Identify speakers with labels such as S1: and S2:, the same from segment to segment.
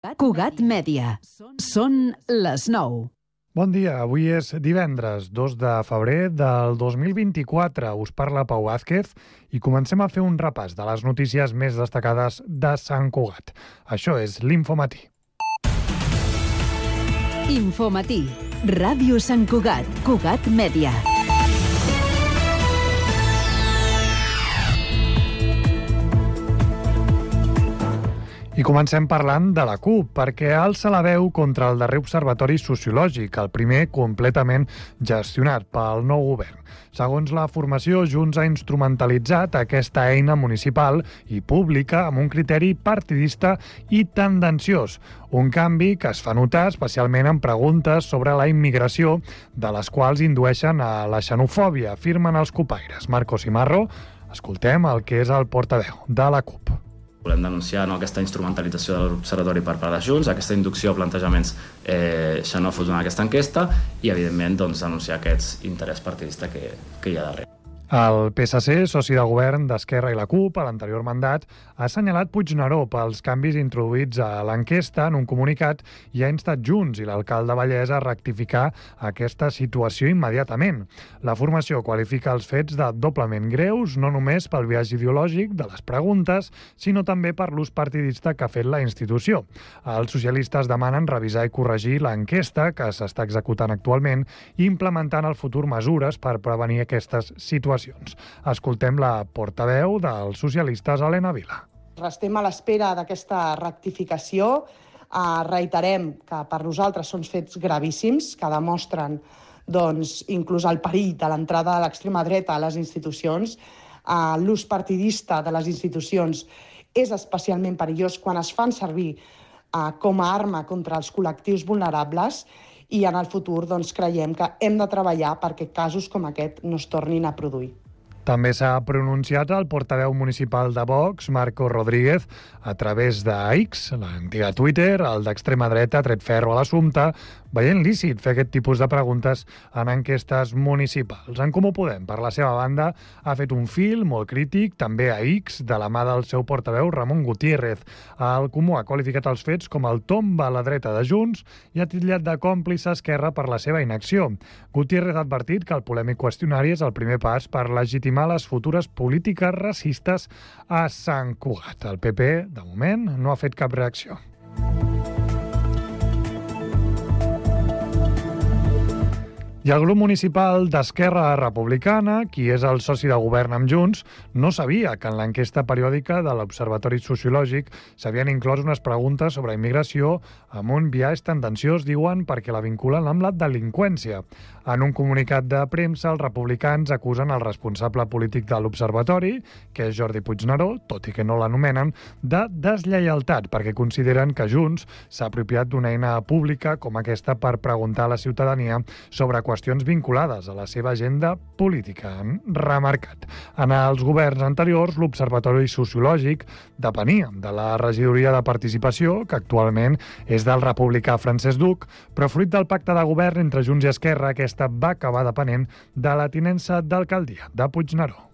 S1: Cugat Mèdia. Són les 9.
S2: Bon dia, avui és divendres, 2 de febrer del 2024. Us parla Pau Vázquez i comencem a fer un repàs de les notícies més destacades de Sant Cugat. Això és l'Infomatí.
S1: Infomatí. Ràdio Sant Cugat. Cugat Mèdia.
S2: I comencem parlant de la CUP, perquè alça la veu contra el darrer observatori sociològic, el primer completament gestionat pel nou govern. Segons la formació, Junts ha instrumentalitzat aquesta eina municipal i pública amb un criteri partidista i tendenciós. Un canvi que es fa notar especialment en preguntes sobre la immigració, de les quals indueixen a la xenofòbia, afirmen els cupaires. Marcos Imarro, escoltem el que és el portaveu de la CUP.
S3: Volem denunciar aquesta instrumentalització de l'Observatori per part de Junts, aquesta inducció a plantejaments xenòfobs en aquesta enquesta i, evidentment, denunciar aquest interès partidista que hi ha darrere.
S2: El PSC, soci de govern d'Esquerra i la CUP, a l'anterior mandat, ha assenyalat Puigneró pels canvis introduïts a l'enquesta en un comunicat i ha instat Junts i l'alcalde Vallès a rectificar aquesta situació immediatament. La formació qualifica els fets de doblement greus, no només pel biaix ideològic de les preguntes, sinó també per l'ús partidista que ha fet la institució. Els socialistes demanen revisar i corregir l'enquesta que s'està executant actualment i implementar en el futur mesures per prevenir aquestes situacions. Escoltem la portaveu dels socialistes, Helena Vila.
S4: Restem a l'espera d'aquesta rectificació. Reiterem que per nosaltres són fets gravíssims que demostren inclús el perill de l'entrada de l'extrema dreta a les institucions. L'ús partidista de les institucions és especialment perillós quan es fan servir com a arma contra els col·lectius vulnerables i en el futur creiem que hem de treballar perquè casos com aquest no es tornin a produir.
S2: També s'ha pronunciat el portaveu municipal de Vox, Marco Rodríguez, a través de X, l'antiga Twitter, el d'extrema dreta, ha tret ferro a l'assumpte, veient lícit fer aquest tipus de preguntes en enquestes municipals. En Comú Podem, per la seva banda, ha fet un fil molt crític, també a X, de la mà del seu portaveu, Ramon Gutiérrez. El Comú ha qualificat els fets com el tomba a la dreta de Junts i ha titllat de còmplice Esquerra per la seva inacció. Gutiérrez ha advertit que el polèmic qüestionari és el primer pas per legitimar les futures polítiques racistes a Sant Cugat. El PP, de moment, no ha fet cap reacció. I el grup municipal d'Esquerra Republicana, qui és el soci de govern amb Junts, no sabia que en l'enquesta periòdica de l'Observatori Sociològic s'havien inclòs unes preguntes sobre immigració amb un biaix tendenciós, diuen, perquè la vinculen amb la delinqüència. En un comunicat de premsa, els republicans acusen el responsable polític de l'Observatori, que és Jordi Puigneró, tot i que no l'anomenen, de deslleialtat, perquè consideren que Junts s'ha apropiat d'una eina pública com aquesta per preguntar a la ciutadania sobre qüestions vinculades a la seva agenda política, han remarcat. En els governs anteriors, l'Observatori Sociològic depenia de la regidoria de participació, que actualment és del republicà Francesc Duc, però fruit del pacte de govern entre Junts i Esquerra, aquesta va acabar depenent de la tinença d'alcaldia de Puigneró.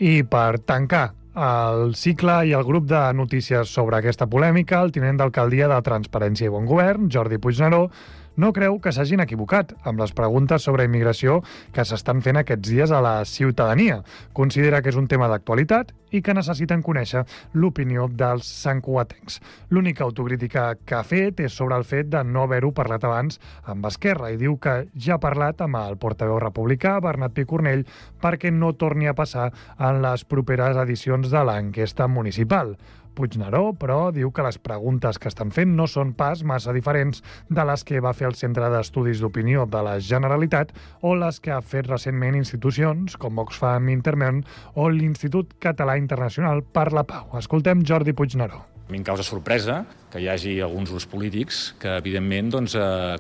S2: I per tancar el cicle i el grup de notícies sobre aquesta polèmica, el tinent d'alcaldia de Transparència i Bon Govern, Jordi Puigneró, no creu que s'hagin equivocat amb les preguntes sobre immigració que s'estan fent aquests dies a la ciutadania. Considera que és un tema d'actualitat i que necessiten conèixer l'opinió dels santcugatencs. L'única autocrítica que ha fet és sobre el fet de no haver-ho parlat abans amb Esquerra i diu que ja ha parlat amb el portaveu republicà, Bernat Picornell, perquè no torni a passar en les properes edicions de l'enquesta municipal. Puigneró, però, diu que les preguntes que estan fent no són pas massa diferents de les que va fer el Centre d'Estudis d'Opinió de la Generalitat o les que ha fet recentment institucions com Oxfam Intermón o l'Institut Català Internacional per la Pau. Escoltem Jordi Puigneró.
S5: A mi em causa sorpresa que hi hagi alguns grups polítics que, evidentment,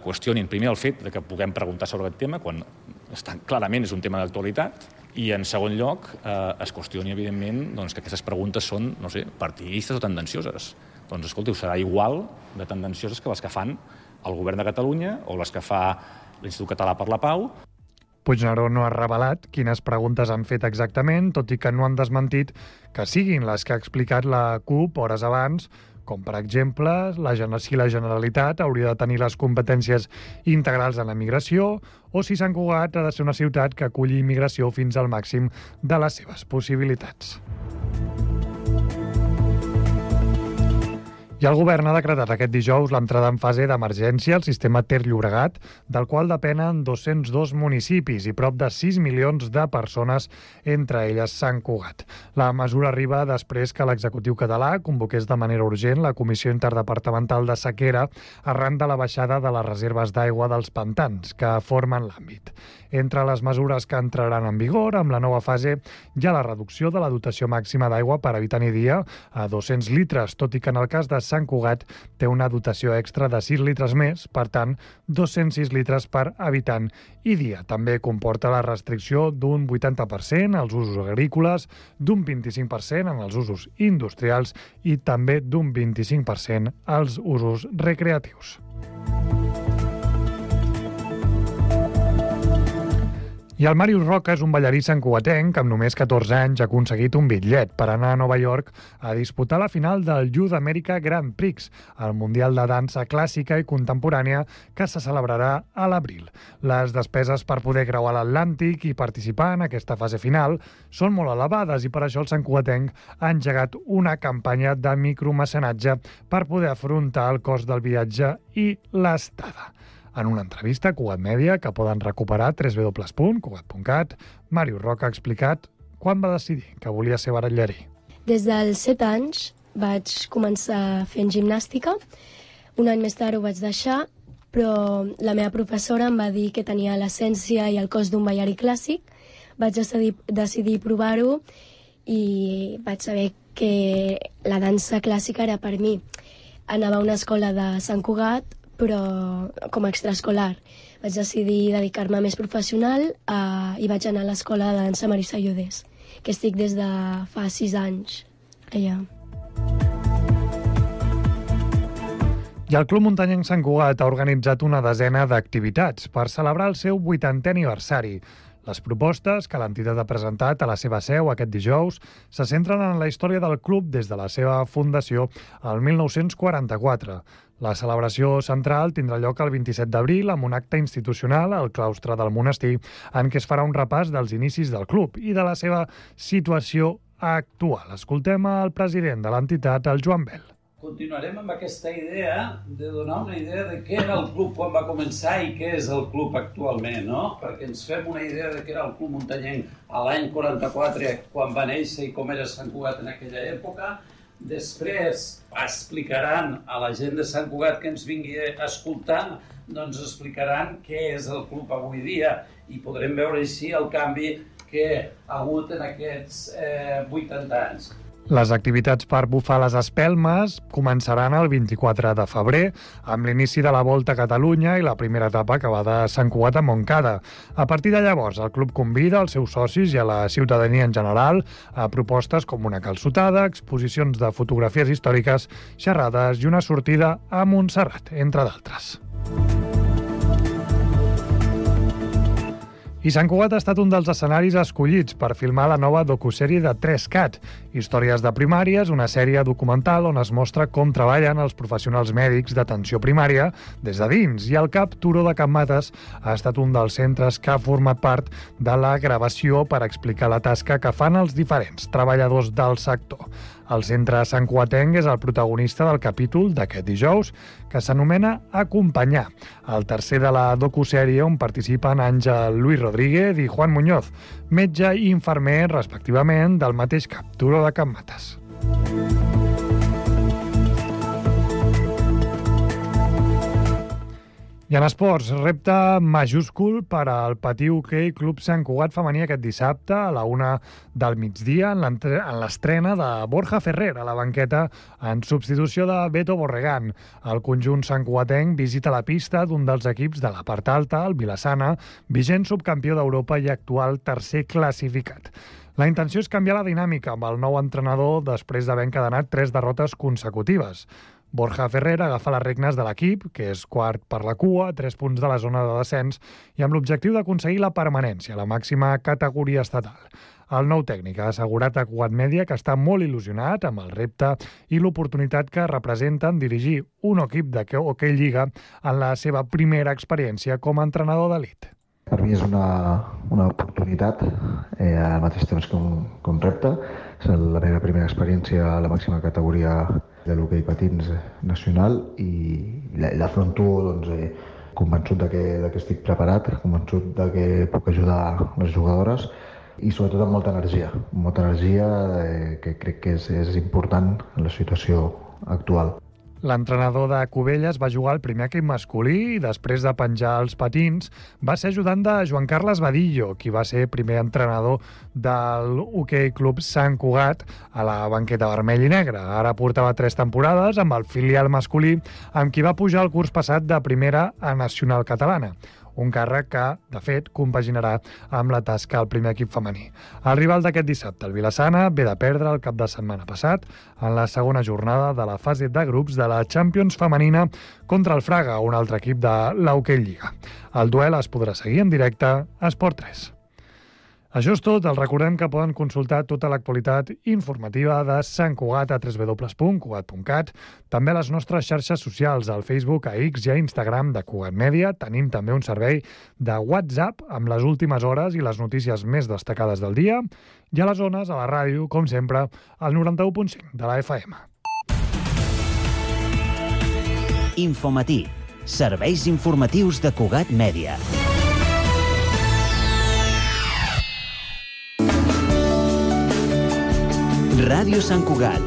S5: qüestionin primer el fet de que puguem preguntar sobre aquest tema, quan clarament és un tema d'actualitat, i, en segon lloc, es qüestioni, evidentment, que aquestes preguntes són, no sé, partidistes o tendencioses. Doncs, escolteu, serà igual de tendencioses que les que fan el Govern de Catalunya o les que fa l'Institut Català per la Pau.
S2: Puigneró no ha revelat quines preguntes han fet exactament, tot i que no han desmentit que siguin les que ha explicat la CUP hores abans, com per exemple si la Generalitat hauria de tenir les competències integrals en la migració o si Sant Cugat ha de ser una ciutat que aculli immigració fins al màxim de les seves possibilitats. I el govern ha decretat aquest dijous l'entrada en fase d'emergència al sistema Ter-Llobregat, del qual depenen 202 municipis i prop de 6 milions de persones, entre elles Sant Cugat. La mesura arriba després que l'executiu català convoqués de manera urgent la Comissió Interdepartamental de Sequera arran de la baixada de les reserves d'aigua dels pantans que formen l'àmbit. Entre les mesures que entraran en vigor amb la nova fase hi ha la reducció de la dotació màxima d'aigua per habitant i dia a 200 litres, tot i que en el cas de Sant Cugat té una dotació extra de 6 litres més, per tant, 206 litres per habitant i dia. També comporta la restricció d'un 80% als usos agrícoles, d'un 25% en els usos industrials i també d'un 25% als usos recreatius. I el Màrius Roca és un ballarí santcugatenc que amb només 14 anys ha aconseguit un bitllet per anar a Nova York a disputar la final del Youth America Grand Prix, el Mundial de Dansa Clàssica i Contemporània que se celebrarà a l'abril. Les despeses per poder creuar l'Atlàntic i participar en aquesta fase final són molt elevades i per això el santcugatenc ha engegat una campanya de micromecenatge per poder afrontar el cost del viatge i l'estada. En una entrevista a Cugat Mèdia, que poden recuperar a www.cugat.cat, Màrius Roca ha explicat quan va decidir que volia ser batallarí.
S6: Des dels 7 anys vaig començar fent gimnàstica. Un any més tard ho vaig deixar, però la meva professora em va dir que tenia l'essència i el cos d'un ballarí clàssic. Vaig decidir provar-ho i vaig saber que la dansa clàssica era per mi. Anava a una escola de Sant Cugat, però com a extraescolar. Vaig decidir dedicar-me més professional i vaig anar a l'escola de dansa Marisa Llodés, que estic des de fa 6 anys allà.
S2: I el Club Muntanyenc Sant Cugat ha organitzat una desena d'activitats per celebrar el seu 80è aniversari. Les propostes que l'entitat ha presentat a la seva seu aquest dijous se centren en la història del club des de la seva fundació el 1944. La celebració central tindrà lloc el 27 d'abril amb un acte institucional al claustre del monestir en què es farà un repàs dels inicis del club i de la seva situació actual. Escoltem al president de l'entitat, el Joan Bel.
S7: Continuarem amb aquesta idea de donar una idea de què era el club quan va començar i què és el club actualment, no? Perquè ens fem una idea de què era el Club Muntanyenc a l'any 44, quan va néixer i com era Sant Cugat en aquella època. Després explicaran a la gent de Sant Cugat que ens vingui a escoltar, doncs explicaran què és el club avui dia i podrem veure així el canvi que ha hagut en aquests 80 anys.
S2: Les activitats per bufar les espelmes començaran el 24 de febrer amb l'inici de la Volta a Catalunya i la primera etapa que va de Sant Cugat a Montcada. A partir de llavors, el club convida els seus socis i a la ciutadania en general a propostes com una calçotada, exposicions de fotografies històriques, xerrades i una sortida a Montserrat, entre d'altres. I Sant Cugat ha estat un dels escenaris escollits per filmar la nova docusèrie de 3CAT, Històries de Primàries, una sèrie documental on es mostra com treballen els professionals mèdics d'atenció primària des de dins, i el CAP Turó de Can Mates ha estat un dels centres que ha format part de la gravació per explicar la tasca que fan els diferents treballadors del sector. El centre santcugatenc és el protagonista del capítol d'aquest dijous, que s'anomena Acompanyar, el tercer de la docusèrie on participen Àngel Luis Rodríguez i Juan Muñoz, metge i infermer respectivament del mateix CAP Turó de Can Mates. I en esports, repte majúscul per al Patí Hoquei Club Sant Cugat femení aquest dissabte a la 1 del migdia en l'estrena de Borja Ferrer a la banqueta en substitució de Beto Borregán. El conjunt santcugatenc visita la pista d'un dels equips de la part alta, el Vilassana, vigent subcampió d'Europa i actual tercer classificat. La intenció és canviar la dinàmica amb el nou entrenador després d'haver encadenat 3 derrotes consecutives. Borja Ferrer agafa les regnes de l'equip, que és quart per la cua, 3 punts de la zona de descens, i amb l'objectiu d'aconseguir la permanència a la màxima categoria estatal. El nou tècnic ha assegurat a Cugat Mèdia que està molt il·lusionat amb el repte i l'oportunitat que representen dirigir un equip de hoquei lliga en la seva primera experiència com a entrenador d'elit.
S8: Per mi és una oportunitat, al mateix temps que un repte. És la meva primera experiència a la màxima categoria de l'hoquei patins nacional i l'afronto convençut de que estic preparat, convençut de que puc ajudar les jugadores i sobretot amb molta energia que crec que és important en la situació actual.
S2: L'entrenador de Cubelles va jugar al primer equip masculí i després de penjar els patins va ser ajudant de Joan Carles Badillo, qui va ser primer entrenador del Hoquei Club Sant Cugat a la banqueta vermell i negra. Ara portava 3 temporades amb el filial masculí, amb qui va pujar el curs passat de primera a nacional catalana. Un càrrec que, de fet, compaginarà amb la tasca al primer equip femení. El rival d'aquest dissabte, el Vilassana, ve de perdre el cap de setmana passat en la segona jornada de la fase de grups de la Champions femenina contra el Fraga, un altre equip de l'Hoquei Lliga. El duel es podrà seguir en directe a Esport 3. Això és tot. Els recordem que poden consultar tota l'actualitat informativa de Sant Cugat a www.cugat.cat, també a les nostres xarxes socials, al Facebook, a X i a Instagram de Cugat Mèdia. Tenim també un servei de WhatsApp amb les últimes hores i les notícies més destacades del dia, i a les zones, a la ràdio, com sempre, al 91.5 de la FM.
S9: Infomatí. Serveis informatius de Cugat Mèdia. Ràdio Sant Cugat,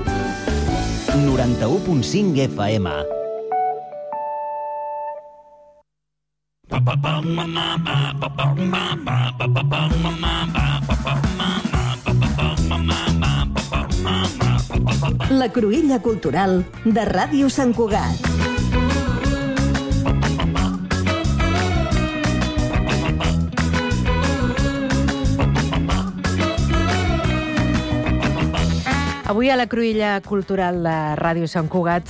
S9: 91.5 FM.
S1: La cruïlla cultural de Ràdio Sant Cugat.
S10: Avui a la cruïlla cultural de Ràdio Sant Cugat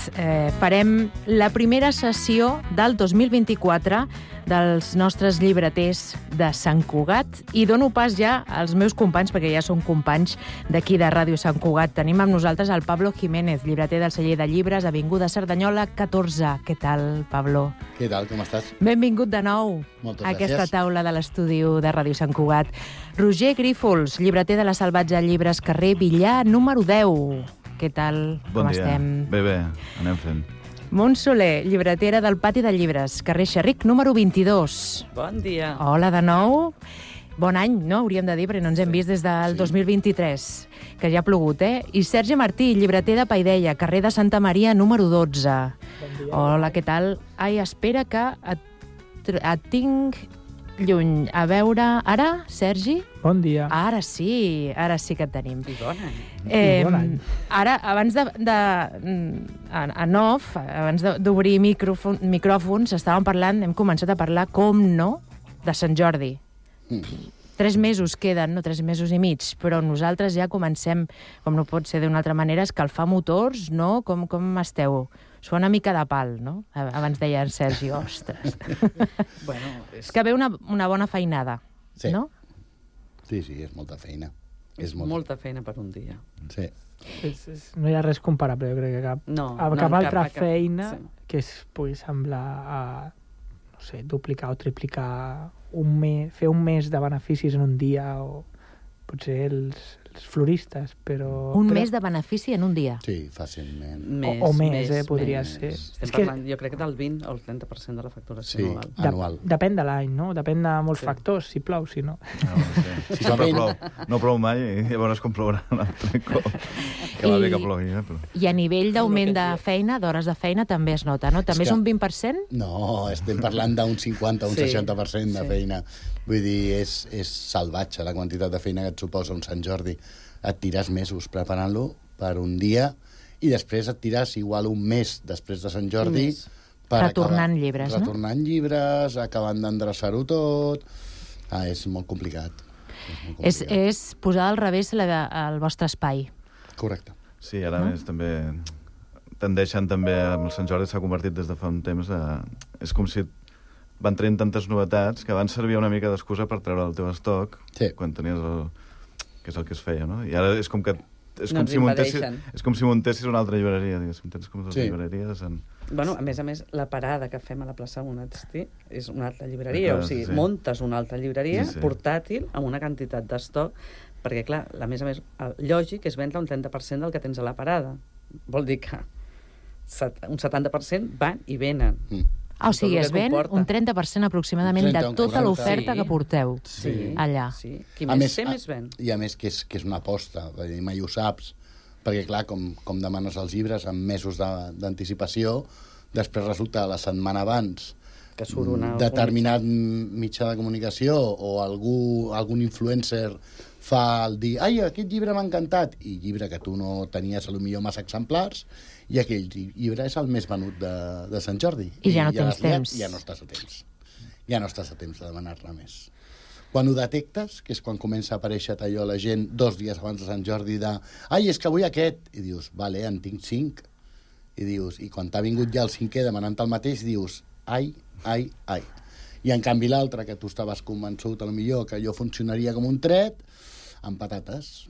S10: farem la primera sessió del 2024 dels nostres llibreters de Sant Cugat i dono pas ja als meus companys, perquè ja són companys d'aquí de Ràdio Sant Cugat. Tenim amb nosaltres el Pablo Jiménez, llibreter del celler de llibres, Avinguda Cerdanyola 14. Què tal, Pablo?
S11: Què tal, com estàs?
S10: Benvingut de nou a aquesta taula de l'estudi de Ràdio Sant Cugat. Roger Grífols, llibreter de la Salvatge Llibres, carrer Villar, número 10. Què tal? Com estem?
S12: Bé, anem fent.
S10: Montse Soler, llibretera del Pati de Llibres, carrer Xerric, número 22.
S13: Bon dia.
S10: Hola de nou. Bon any, no? Hauríem de dir, perquè no ens hem vist des del 2023, que ja ha plogut, eh? I Sergi Martí, llibreter de Paideia, carrer de Santa Maria, número 12. Bon dia. Hola, què tal? Ai, espera que et tinc lluny. A veure... Ara, Sergi?
S14: Bon dia.
S10: Ara sí que et tenim.
S13: I bon any.
S10: Ara, abans en off, abans d'obrir micròfons, estàvem parlant, hem començat a parlar, com no, de Sant Jordi. 3 mesos queden, no? 3 mesos i mig, però nosaltres ja comencem, com no pot ser d'una altra manera, a escalfar motors, no? Com esteu? Us fa una mica de pal, no? Abans deia en Sergi, ostres.
S13: Bueno,
S10: és que ve una bona feinada,
S11: sí.
S10: No?
S11: Sí, és molta feina.
S13: És molta feina per un dia.
S11: Sí.
S14: No hi ha res comparable, jo crec que cap altra feina que es pugui semblar a, no sé, duplicar o triplicar fer un mes de beneficis en un dia, o potser els floristes, però...
S10: Un mes de benefici en un dia?
S11: Sí, fàcilment.
S14: O més, podria ser.
S13: Estem parlant, jo crec que del 20 o el 30% de la facturació anual.
S11: Anual.
S14: Depèn de l'any, no? Depèn de molts factors, si plou, si no.
S12: No plou mai, i llavors com plourà un altre cop. Que va bé que plogui, però...
S10: I a nivell d'augment de feina, d'hores de feina, també es nota, no? També és un 20%?
S11: No, estem parlant d'un 50 o un 60% de feina. Vull dir, és salvatge la quantitat de feina que et suposa un Sant Jordi. Et tires mesos preparant-lo per un dia i després et tires igual un mes després de Sant Jordi
S10: retornant llibres, no?
S11: Retornant llibres, acabant d'endreçar-ho tot. És molt complicat.
S10: És posar al revés el vostre espai.
S11: Correcte.
S12: Sí, ara més també tendeixen també, amb el Sant Jordi s'ha convertit des de fa un temps, és com si van traient tantes novetats que van servir una mica d'excusa per treure el teu estoc quan tenies que és el que es feia, no? I ara és com que és com si muntessis una altra llibreria, diguéssim. Tens com dues llibreries
S13: Bueno, a més, la parada que fem a la plaça Monasti és una altra llibreria, o sigui, montes una altra llibreria portàtil amb una quantitat d'estoc, perquè, clar, a més, el lògic és vendre un 30% del que tens a la parada. Vol dir que un 70% van i venen.
S10: O sigui, es ven un 30% aproximadament de tota l'oferta que porteu allà.
S13: Qui més té, més ven.
S11: I a més que és una aposta, mai ho saps, perquè, clar, com demanes els llibres amb mesos d'anticipació, després resulta la setmana abans
S13: que surt
S11: determinat mitjà de comunicació o algun influencer fa el dir ai, aquest llibre m'ha encantat, i llibre que tu no tenies potser massa exemplars, i aquell llibre és el més venut de Sant Jordi.
S10: I ja no tens temps.
S11: Ja no estàs a temps. Ja no estàs a temps de demanar-ne més. Quan ho detectes, que és quan comença a aparèixer allò la gent 2 dies abans de Sant Jordi ai, és que vull aquest, i dius, vale, en tinc 5, i dius, i quan t'ha vingut ja el 5è demanant el mateix, dius, ai. I en canvi l'altre, que tu estaves convençut potser que allò funcionaria com un tret, amb patates.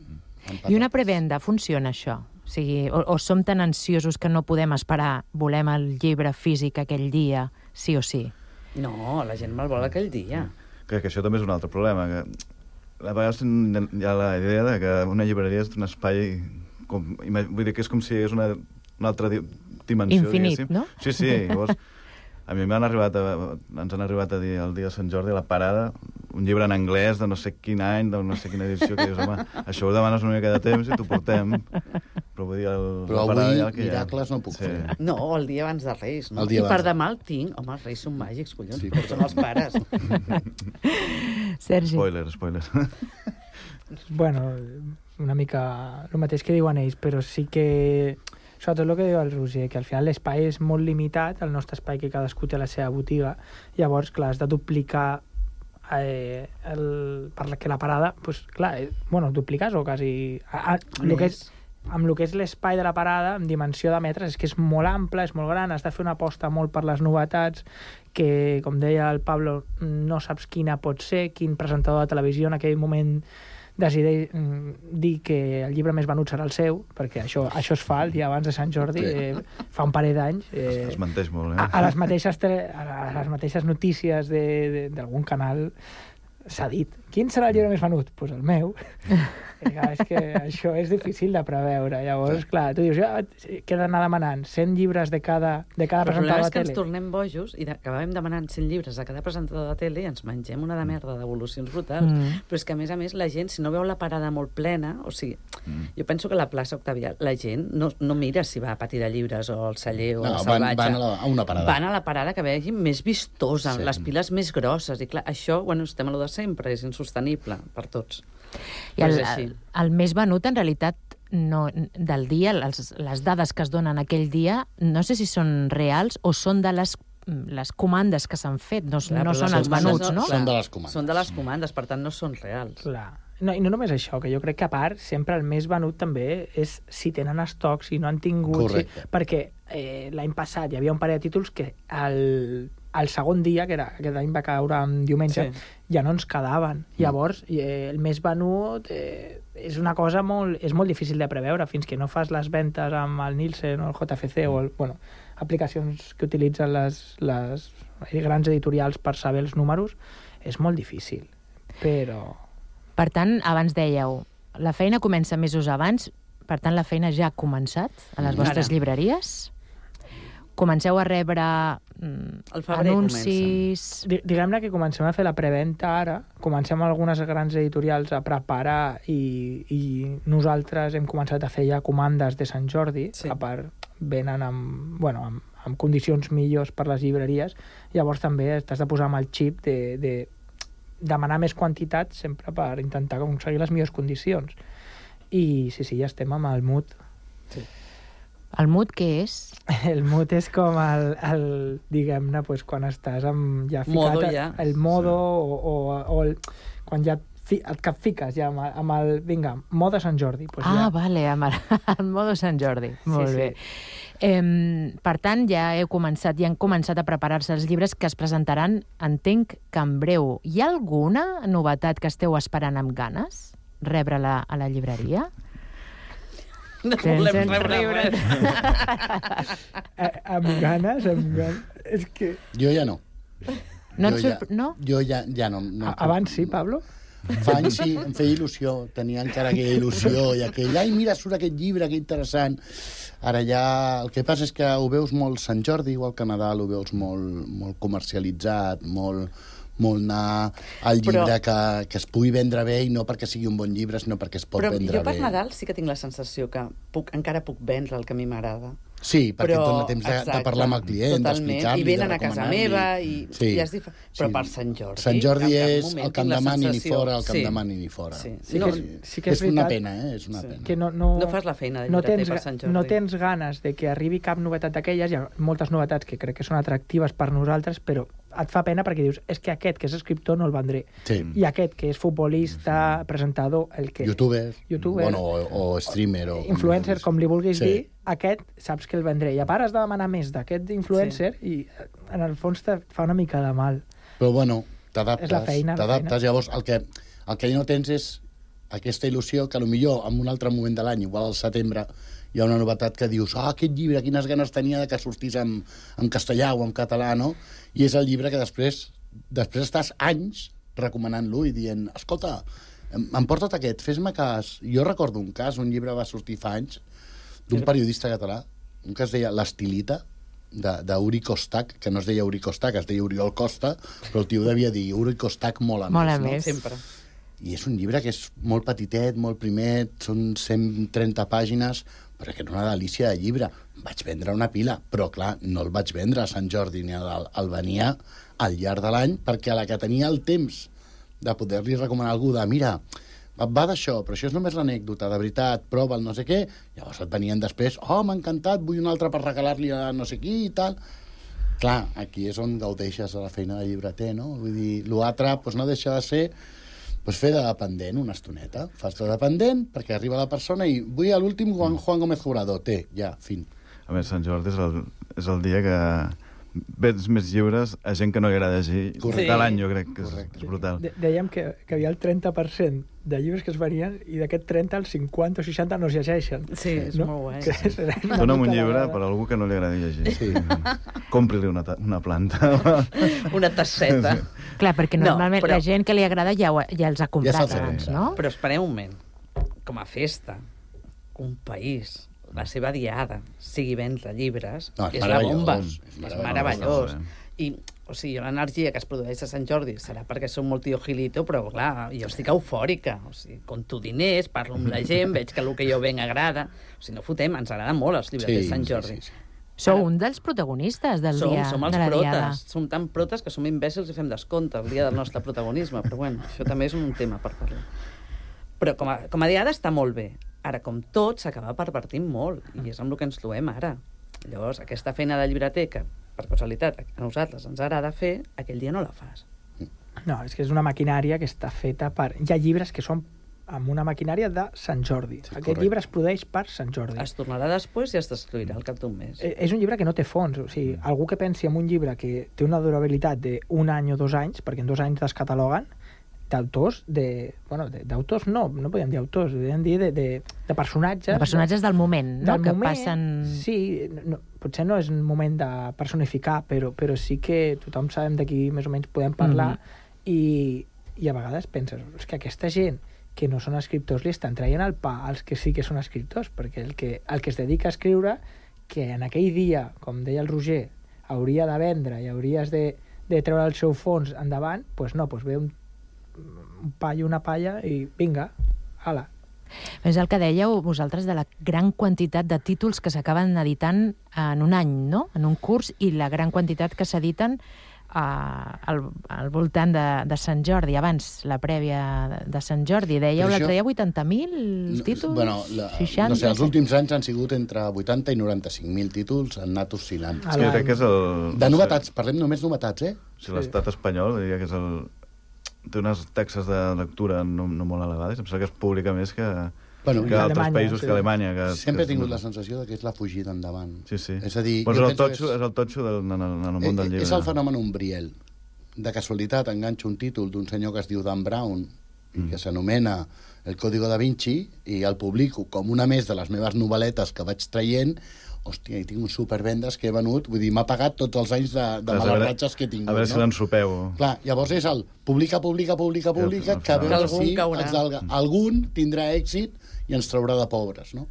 S10: I una prevenda, funciona això? O sigui, o som tan ansiosos que no podem esperar, volem el llibre físic aquell dia, sí o sí?
S13: No, la gent me'l vol aquell dia.
S12: Crec que això també és un altre problema, que a vegades hi ha la idea que una llibreria és un espai, vull dir que és com si és una altra dimensió.
S10: Infinit, no?
S12: Sí, llavors a mi ens han arribat a dir el dia de Sant Jordi a la parada un llibre en anglès de no sé quin any, de no sé quina edició, que dius, home, això ho demanes una mica de temps i t'ho portem. Però vull dir,
S11: però avui miracles no puc fer.
S13: No, el dia abans de Reis, no? I per demà el tinc. Home, els Reis són màgics, collons, són els pares.
S10: Sergi.
S12: Spoiler.
S14: Bueno, una mica el mateix que diuen ells, però sí que sobretot el que diu el Roger, que al final l'espai és molt limitat, el nostre espai, que cadascú té la seva botiga, llavors, clar, has de duplicar perquè la parada, doncs, clar, dupliques o quasi amb el que és l'espai de la parada, en dimensió de metres, és que és molt ample, és molt gran, has de fer una aposta molt per les novetats, que, com deia el Pablo, no saps quina pot ser, quin presentador de televisió en aquell moment decideix dir que el llibre més venut serà el seu, perquè això es fa el dia abans de Sant Jordi, fa un parell d'anys.
S12: Es menteix molt,
S14: a les mateixes notícies d'algun canal s'ha dit, quin serà el llibre més venut? Doncs el meu. És que això és difícil de preveure. Llavors, clar, tu dius, què he d'anar demanant? 100 llibres de cada presentador de tele?
S13: El problema és que ens tornem bojos i acabem demanant 100 llibres de cada presentador de tele i ens mengem una de merda d'evolucions brutals. Però és que, a més, la gent, si no veu la parada molt plena, o sigui, jo penso que la plaça Octavià, la gent no mira si va a Patí de Llibres o al Celler o al Salvatge.
S11: Van a una parada.
S13: Van a la parada que vegi més vistosa, amb les piles més grosses. I clar, això, estem a lo de sempre, és insostenible per tots.
S10: I el més venut, en realitat, del dia, les dades que es donen aquell dia, no sé si són reals o són de les comandes que s'han fet, no són els venuts, no?
S11: Són de les comandes.
S13: Són de les comandes, per tant no són reals.
S14: Clar. No, i no només això, que jo crec que a part sempre el més venut també és si tenen estocs, si no han tingut...
S11: Correcte.
S14: Perquè l'any passat hi havia un parell de títols que el segon dia, que aquest any va caure en diumenge, ja no ens quedaven. Llavors, el més venut és una cosa és molt difícil de preveure fins que no fas les ventes amb el Nielsen o el JFC o aplicacions que utilitzen les grans editorials per saber els números, és molt difícil. Però...
S10: Per tant, abans dèieu, la feina comença mesos abans, per tant, la feina ja ha començat a les vostres llibreries? Comenceu a rebre anuncis...
S14: Diguem-ne que comencem a fer la preventa ara, comencem algunes grans editorials a preparar i nosaltres hem començat a fer ja comandes de Sant Jordi, a part venen amb condicions millors per les llibreries, llavors també t'has de posar amb el xip de demanar més quantitat sempre per intentar aconseguir les millors condicions. I sí, ja estem amb el mood.
S10: Sí. El mood què és?
S14: El mood és com diguem-ne, quan estàs ja ficat...
S13: Modo ja.
S14: El modo o quan ja et fiques ja amb el... Vinga, modo Sant Jordi.
S10: Vale, amb el modo Sant Jordi. Molt bé. Per tant, ja han començat a preparar-se els llibres que es presentaran, entenc que en breu. Hi ha alguna novetat que esteu esperant amb ganes? Rebre-la a la llibreria?
S13: No volem rebre.
S14: Amb ganes. És que...
S11: Jo ja no.
S10: No?
S11: Jo ja no.
S14: Abans sí, Pablo?
S11: Fa anys sí, em feia il·lusió, tenia encara aquella il·lusió i aquell, ai, mira, surt aquest llibre, que interessant. Ara ja, el que passa és que ho veus molt Sant Jordi, igual que Nadal, ho veus molt comercialitzat, molt anar al llibre que es pugui vendre bé i no perquè sigui un bon llibre, sinó perquè es pot vendre bé.
S13: Però jo per Nadal sí que tinc la sensació que encara puc vendre el que a mi m'agrada.
S11: Sí, perquè et dona temps de parlar amb el client, d'explicar-li,
S13: i venen a casa meva, però per Sant Jordi...
S11: Sant Jordi és el que em demani ni fora, el que em demani ni fora.
S14: Sí que
S11: és una pena, és una pena.
S14: Que no
S13: fas la feina de llibreter per Sant Jordi.
S14: No tens ganes de que arribi cap novetat d'aquelles, hi ha moltes novetats que crec que són atractives per nosaltres, però et fa pena perquè dius, és que aquest que és escriptor no el vendré. I aquest que és futbolista, presentador, el que...
S11: Youtuber. Bueno, o streamer.
S14: Influencer, com li vulguis dir, aquest saps que el vendré. I a part has de demanar més d'aquest influencer i en el fons te fa una mica de mal.
S11: Però bueno, t'adaptes.
S14: És la feina.
S11: Llavors, el que ja no tens és aquesta il·lusió que potser en un altre moment de l'any, igual al setembre, hi ha una novetat que dius, aquest llibre, quines ganes tenia que sortís en castellà o en català, no? I és el llibre que després estàs anys recomanant-lo i dient, escolta, em porta't aquest, fes-me cas. Jo recordo un cas, un llibre va sortir fa anys, d'un periodista català, un que es deia L'Estilita, d'Uri Kostak, que no es deia Uri Kostak, es deia Oriol Costa, però el tio devia dir Uri Kostak molt a més.
S13: Sempre.
S11: I és un llibre que és molt petitet, molt primet, són 130 pàgines, però que era una delícia de llibre. Vaig vendre una pila, però clar, no el vaig vendre a Sant Jordi ni el venia al llarg de l'any, perquè a la que tenia el temps de poder-li recomanar a algú de, mira, va d'això, però això és només l'anècdota, de veritat, prova'l, no sé què, llavors et venien després, m'ha encantat, vull un altre per regalar-li a no sé qui i tal. Clar, aquí és on gaudeixes de la feina de llibreter, no? Vull dir, l'altre no deixa de ser fer de dependent una estoneta. Fas de dependent perquè arriba la persona i vull a l'últim Juan Gómez Jurado. Fin.
S12: A més, Sant Jordi és el dia que vens més llibres a gent que no li agrada llegir de l'any, jo crec que és brutal.
S14: Dèiem que hi havia el 30% de llibres que es venien i d'aquest 30, el 50 o 60 no es llegeixen.
S13: Sí, és molt guai.
S12: Dóna'm un llibre per a algú que no li agradi llegir. Compri-li una planta.
S13: Una tasseta.
S10: Clar, perquè normalment la gent que li agrada ja els ha comprat abans, no?
S13: Però esperem un moment. Com a festa, un país, la seva diada, sigui vendre llibres, és la bomba. És meravellós. I, o sigui, l'energia que es produeix a Sant Jordi serà perquè som molt tio Gilito, però clar, jo estic eufòrica. O sigui, compto diners, parlo amb la gent, veig que el que jo venc agrada. O sigui, no fotem, ens agraden molt els llibres de Sant Jordi.
S10: Sou un dels protagonistes del dia de la diada.
S13: Som els protes. Som tan protes que som imbècils i fem descompte el dia del nostre protagonisme. Però bueno, això també és un tema per parlar. Però com a diada està molt bé. Ara, com tot, s'acaba pervertint molt, i és amb el que ens trobem ara. Llavors, aquesta feina de llibreter, que per casualitat a nosaltres ens agrada fer, aquell dia no la fas.
S14: No, és que és una maquinària que està feta per... Hi ha llibres que són amb una maquinària de Sant Jordi. Sí, aquest llibre es produeix per Sant Jordi.
S13: Es tornarà després i es destruirà al cap d'un mes.
S14: És un llibre que no té fons. O sigui, algú que pensi en un llibre que té una durabilitat d'un any o 2 anys, perquè en 2 anys descataloguen, d'autors, d'autors no podem dir autors, podem dir de personatges.
S10: De personatges del moment, no? Que passen...
S14: Sí, potser no és un moment de personificar, però sí que tothom sabem de qui més o menys podem parlar, i a vegades penses, és que aquesta gent que no són escriptors li estan traient el pa als que sí que són escriptors, perquè el que es dedica a escriure, que en aquell dia, com deia el Roger, hauria de vendre i hauries de treure el seu fons endavant, doncs no, ve un paio, una palla i vinga, ala.
S10: És el que dèieu vosaltres de la gran quantitat de títols que s'acaben editant en un any, no? En un curs, i la gran quantitat que s'editen al voltant de Sant Jordi, abans la prèvia de Sant Jordi. Dèieu l'altre dia 80.000 títols?
S11: Bueno,
S10: 60?
S11: No sé, els últims anys han sigut entre 80 i 95.000 títols, han anat oscil·lant.
S12: Sí, jo crec que és el...
S11: De novetats, parlem només novetats,
S12: Si l'estat espanyol, diria que és el... té unes taxes de lectura no molt elevades, em sembla que es publica més que... que altres països que Alemanya.
S11: Sempre he tingut la sensació que és la fugida endavant.
S12: Sí.
S11: És a dir...
S12: És el totxo en el món del llibre.
S11: És el fenomen Umbriel. De casualitat enganxo un títol d'un senyor que es diu Dan Brown i que s'anomena El Código da Vinci i el publico com una més de les meves novel·letes que vaig traient. Hòstia, i tinc uns supervendes que he venut, vull dir, m'ha pagat tots els anys de malarratges que he tingut.
S12: A veure si l'ensopeu.
S11: Clar, llavors és el publica, que a veure si algun tindrà èxit i ens traurà de pobres, no?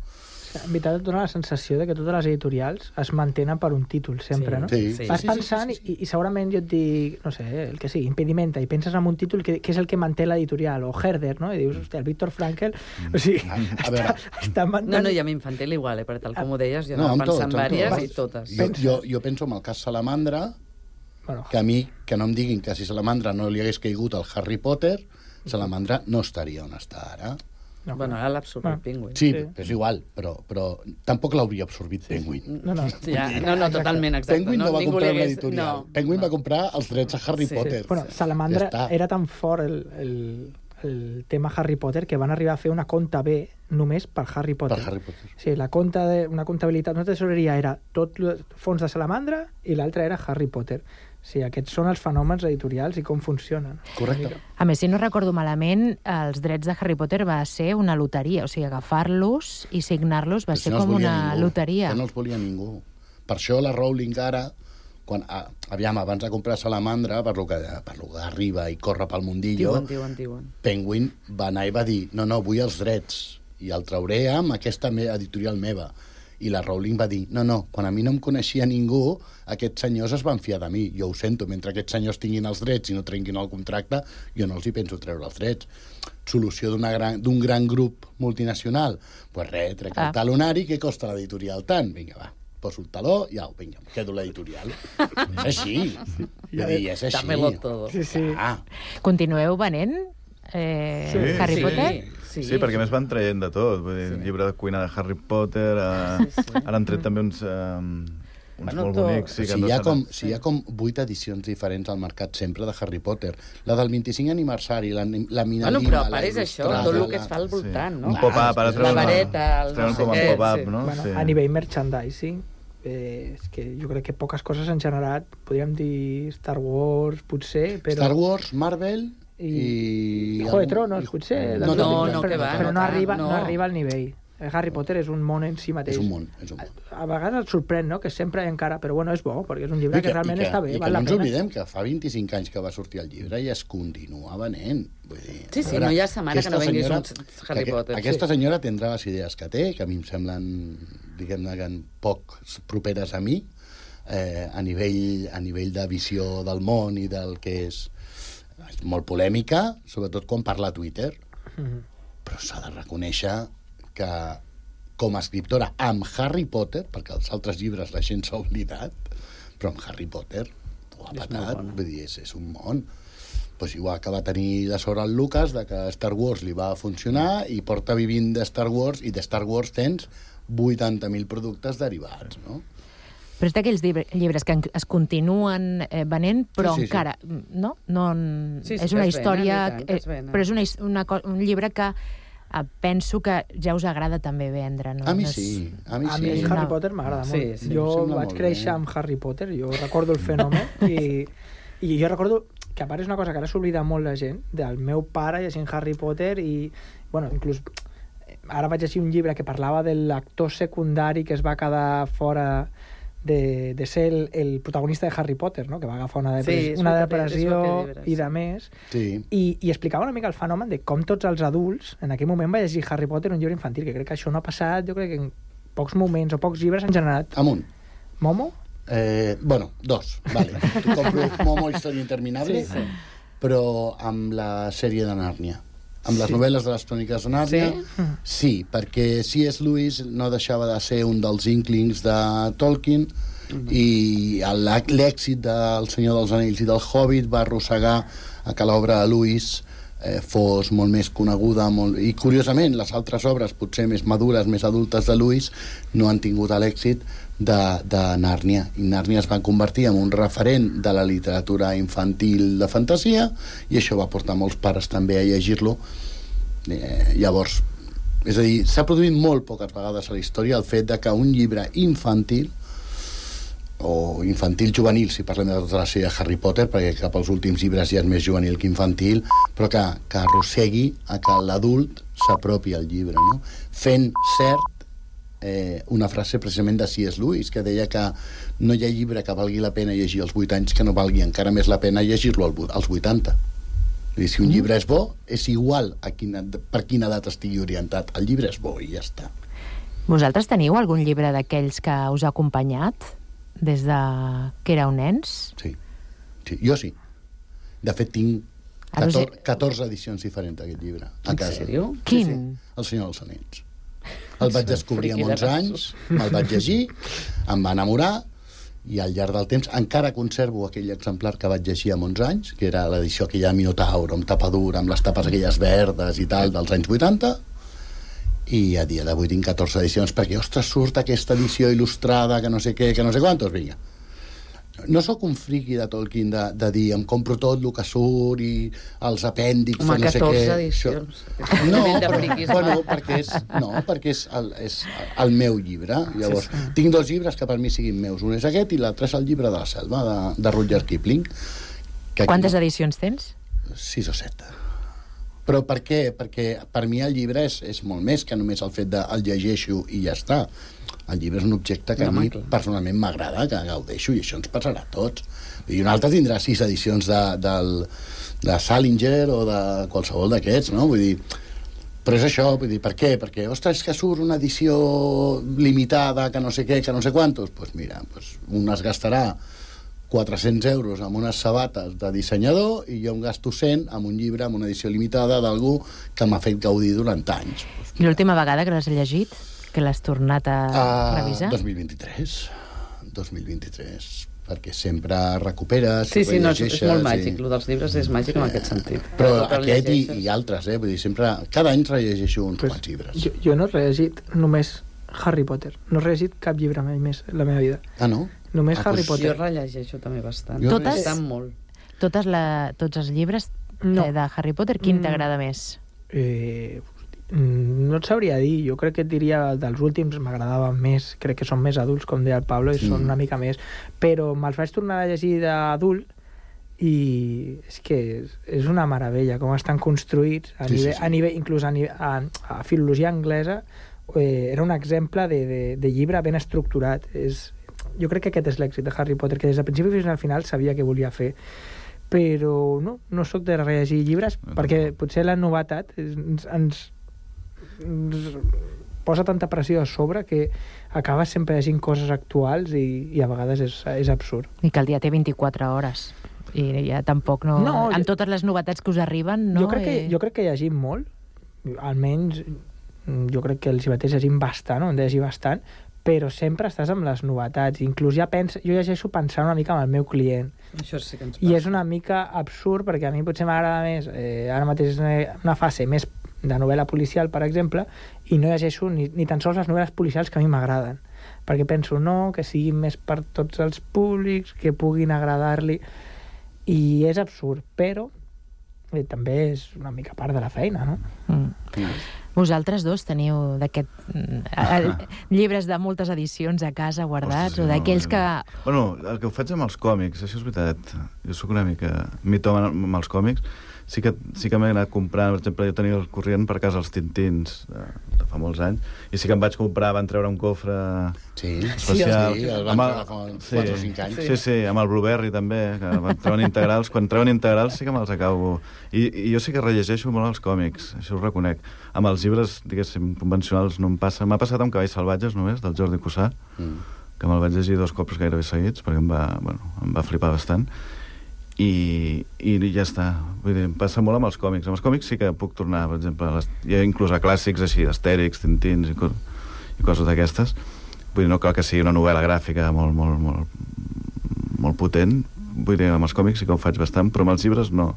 S14: En veritat et dona la sensació de que totes les editorials es mantenen per un títol sempre, no? Vas pensant i segurament jo et dic, no sé, el que sigui, Impedimenta, i penses en un títol que és el que manté l'editorial, o Herder, no? I dius, hòstia, el Viktor Frankl, o sigui, està mantenint...
S13: No, i a mi infantil igual, perquè tal com ho deies, jo anava pensant vàries i totes.
S11: Jo penso en el cas Salamandra, que a mi, que no em diguin que si Salamandra no li hagués caigut al Harry Potter, Salamandra no estaria on està ara.
S13: Bueno, ara l'ha absorbit Penguin.
S11: Sí, és igual, però tampoc l'hauria absorbit Penguin.
S13: No, totalment, exacte.
S11: Penguin no va comprar una editorial. Penguin va comprar els drets a Harry Potter.
S14: Bueno, Salamandra era tan fort el tema Harry Potter que van arribar a fer una conta B només per Harry Potter. Sí, una comptabilitat, una tesoreria era tot fons de Salamandra i l'altra era Harry Potter. Sí, aquests són els fenòmens editorials i com funcionen.
S11: Correcte.
S10: A més, si no recordo malament, els drets de Harry Potter va ser una loteria, o sigui, agafar-los i signar-los va ser com una loteria.
S11: No els volia ningú. Per això la Rowling ara, abans de comprar Salamandra, per lo que arriba i corre pel mundillo, Penguin va anar i va dir, no, vull els drets, i el trauré amb aquesta editorial meva. I la Rowling va dir, no, quan a mi no em coneixia ningú, aquests senyors es van fiar de mi. Jo ho sento, mentre aquests senyors tinguin els drets i no trenquin el contracte, jo no els hi penso treure els drets. Solució d'un gran grup multinacional? Doncs res, trec el talonari, què costa l'editorial tant? Vinga, va, poso el taló i au, vinga, quedo l'editorial. És així. És així.
S13: Dámelo todo.
S10: Continueu venent Harry Potter?
S12: Sí, perquè més van traient de tot. Vull dir, llibre de cuina de Harry Potter, ara han tret també uns molt bonics.
S11: Si hi ha com 8 edicions diferents al mercat sempre de Harry Potter. La del 25 aniversari, la Minalima...
S13: Bueno, però a part és això, tot el que es fa al voltant, no?
S12: Un pop-up, ara
S13: la vareta,
S12: treuen com a pop-up, no?
S14: A nivell merchandising, és que jo crec que poques coses han generat, podríem dir Star Wars, potser, però...
S11: Star Wars, Marvel...
S14: i Juego de Tronos, potser. Però no arriba al nivell. Harry Potter és un món en si mateix.
S11: És un món.
S14: A vegades et sorprèn, no?, que sempre encara... Però bueno, és bo, perquè és un llibre que realment està bé.
S11: I que no ens oblidem que fa 25 anys que va sortir el llibre i es continua venent.
S13: Sí, no hi ha setmana que no venguis un Harry Potter.
S11: Aquesta senyora tindrà les idees que té, que a mi em semblen, diguem-ne, poc properes a mi, a nivell de visió del món i del que és molt polèmica, sobretot quan parla a Twitter, però s'ha de reconèixer que com a escriptora amb Harry Potter, perquè els altres llibres la gent s'ha oblidat, però amb Harry Potter ho ha patat, vull dir, és un món. Pues igual que va tenir de sort el Lucas de que Star Wars li va funcionar i porta vivint de Star Wars, i de Star Wars tens 80.000 productes derivats, no?
S10: Però és d'aquells llibres que es continuen venent, però encara... No? És una història... Però és un llibre que penso que ja us agrada també vendre, no?
S11: A mi sí.
S14: A mi Harry Potter m'agrada molt. Jo vaig créixer amb Harry Potter, jo recordo el fenomen i jo recordo que a part és una cosa que ara s'oblida molt la gent, del meu pare llegint Harry Potter i, bueno, inclús ara vaig llegir un llibre que parlava de l'actor secundari que es va quedar fora de ser el protagonista de Harry Potter, no?, que va agafar una depressió i de més, i explicava una mica el fenomen de com tots els adults en aquell moment va llegir Harry Potter, un llibre infantil, que crec que això no ha passat, jo crec que en pocs moments o pocs llibres han generat...
S11: Amunt.
S14: Momo?
S11: Bueno, 2, vale. Tu compro Momo Història Interminable, però amb la sèrie de Nàrnia. Amb les novel·les de les cròniques de Nàrnia, sí, perquè C.S. Lewis no deixava de ser un dels inklings de Tolkien i l'èxit del Senyor dels Anells i del Hobbit va arrossegar a que l'obra de Lewis fos molt més coneguda i curiosament les altres obres potser més madures, més adultes de Lewis no han tingut l'èxit de Nàrnia, i Nàrnia es va convertir en un referent de la literatura infantil de fantasia i això va portar molts pares també a llegir-lo. Llavors És a dir, s'ha produït molt poques vegades a la història el fet de que un llibre infantil o infantil-juvenil, si parlem de tota la sèrie de Harry Potter, perquè cap als últims llibres ja és més juvenil que infantil, però que arrossegui a que l'adult s'apropi al llibre, no? Fent cert una frase precisament de C.S. Lewis, que deia que no hi ha llibre que valgui la pena llegir als 8 anys que no valgui encara més la pena llegir-lo als 80. Vull dir, si un llibre és bo, és igual per quina edat estigui orientat. El llibre és bo i ja està.
S10: Vosaltres teniu algun llibre d'aquells que us ha acompanyat des de que éreu nens?
S11: Sí, jo sí. De fet, tinc 14 edicions diferents d'aquest llibre a casa.
S13: En sèrio?
S10: Quin?
S11: Sí. El Senyor dels Anells. El vaig descobrir amb 11 anys, me'l vaig llegir, em va enamorar, i al llarg del temps encara conservo aquell exemplar que vaig llegir amb 11 anys, que era l'edició aquella Minotauro, amb tapa dura, amb les tapes aquelles verdes i tal, dels anys 80, i a dia d'avui tinc 14 edicions, perquè, ostres, surt aquesta edició il·lustrada, que no sé què, que no sé quantos, vinga. No sóc un friqui de Tolkien de dir em compro tot el que surt i els apèndixs
S13: home,
S11: no sé què.
S13: 14 edicions.
S11: No, perquè és el meu llibre. Llavors, tinc 2 llibres que per mi siguin meus. Un és aquest i l'altre és el llibre de la selva, de Rudyard Kipling.
S10: Quantes edicions tens?
S11: 6 o 7. Però per què? Perquè per mi el llibre és molt més que només el fet de el llegeixo i ja està. El llibre és un objecte que a mi personalment m'agrada, que gaudeixo, i això ens passarà a tots. I un altre tindrà 6 edicions de Salinger o de qualsevol d'aquests, no? Vull dir, però és això, vull dir, per què? Perquè, ostres, és que surt una edició limitada, que no sé què, que no sé quantos. Doncs mira, un es gastarà 400 euros amb unes sabates de dissenyador i jo em gasto 100 amb un llibre, amb una edició limitada d'algú que m'ha fet gaudir durant anys.
S10: I l'última vegada que l'has llegit? Que l'has tornat a revisar?
S11: 2023, perquè sempre recuperes,
S13: sí, no, és molt màgic, el dels llibres és màgic en aquest sentit.
S11: Però aquest i altres, vull dir, sempre, cada any rellegeixo uns quants llibres.
S14: Jo no he rellegit només Harry Potter, no he rellegit cap llibre mai més en la meva vida.
S11: Ah, no?
S14: Només Harry Potter.
S13: Jo rellegeixo també bastant.
S10: Totes?
S13: Molt.
S10: Tots els llibres de Harry Potter, quin t'agrada més?
S14: No et sabria dir, jo crec que et diria dels últims m'agradava més, crec que són més adults, com deia el Pablo, i són una mica més, però me'ls vaig tornar a llegir d'adult i és que és una meravella com estan construïts a nivell, inclús a filologia anglesa era un exemple de llibre ben estructurat. Jo crec que aquest és l'èxit de Harry Potter, que des del principi fins al final sabia què volia fer, però no sóc de rellegir llibres perquè potser la novetat ens posa tanta pressió a sobre que acabes sempre llegint coses actuals i a vegades és absurd.
S10: I que el dia té 24 hores i ja tampoc amb totes les novetats que us arriben, no?
S14: Jo crec que llegim molt, almenys jo crec que els llibreters llegim bastant, hem de llegir bastant, però sempre estàs amb les novetats. Inclús jo llegeixo pensant una mica en el meu client.
S13: Això sí que ens passa.
S14: I és una mica absurd, perquè a mi potser m'agrada més, ara mateix és una fase més de novel·la policial, per exemple, i no llegeixo ni tan sols les novel·les policials que a mi m'agraden, perquè penso que siguin més per tots els públics, que puguin agradar-li, i és absurd, però també és una mica part de la feina, no?
S10: Vosaltres dos teniu llibres de moltes edicions a casa guardats, o d'aquells que...
S12: Bueno, el que ho faig amb els còmics, això és veritat. Jo sóc una mica mitòman amb els còmics. Sí que m'he anat comprant, per exemple, jo tenia el corrent per casa els Tintins de fa molts anys, i sí que em vaig comprar, van treure un cofre especial.
S11: Sí, el van treure fa 4 o 5 anys.
S12: Sí, amb el Blueberry també, que van treuen integrals. Quan treuen integrals sí que me'ls acabo. I jo sí que rellegeixo molt els còmics, això ho reconec. Amb els llibres, diguéssim, convencionals no em passa. M'ha passat amb Cavalls salvatges només, del Jordi Cussà, que me'l vaig llegir 2 cops gairebé seguits, perquè em va flipar bastant. I ja està. Vull dir, em passa molt amb els còmics. Amb els còmics sí que puc tornar, per exemple, inclús a clàssics així, Astèrix, Tintins i coses d'aquestes. Vull dir, no cal que sigui una novel·la gràfica molt potent. Vull dir, amb els còmics sí que ho faig bastant, però amb els llibres no.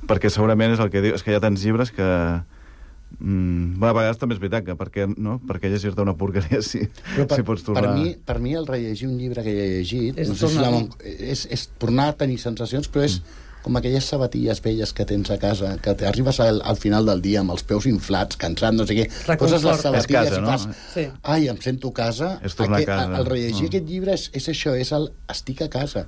S12: Perquè segurament és el que diu, és que hi ha tants llibres que... a vegades també és veritat que per què llegir-te una porqueria si pots tornar...
S11: Per mi el rellegir un llibre que he llegit és tornar a tenir sensacions, però és com aquelles sabatilles velles que tens a casa, que t'arribes al final del dia amb els peus inflats, cansat, no sé què, poses les sabatilles i fas... Ai, em sento a casa. El rellegir aquest llibre és això, és el estic a casa.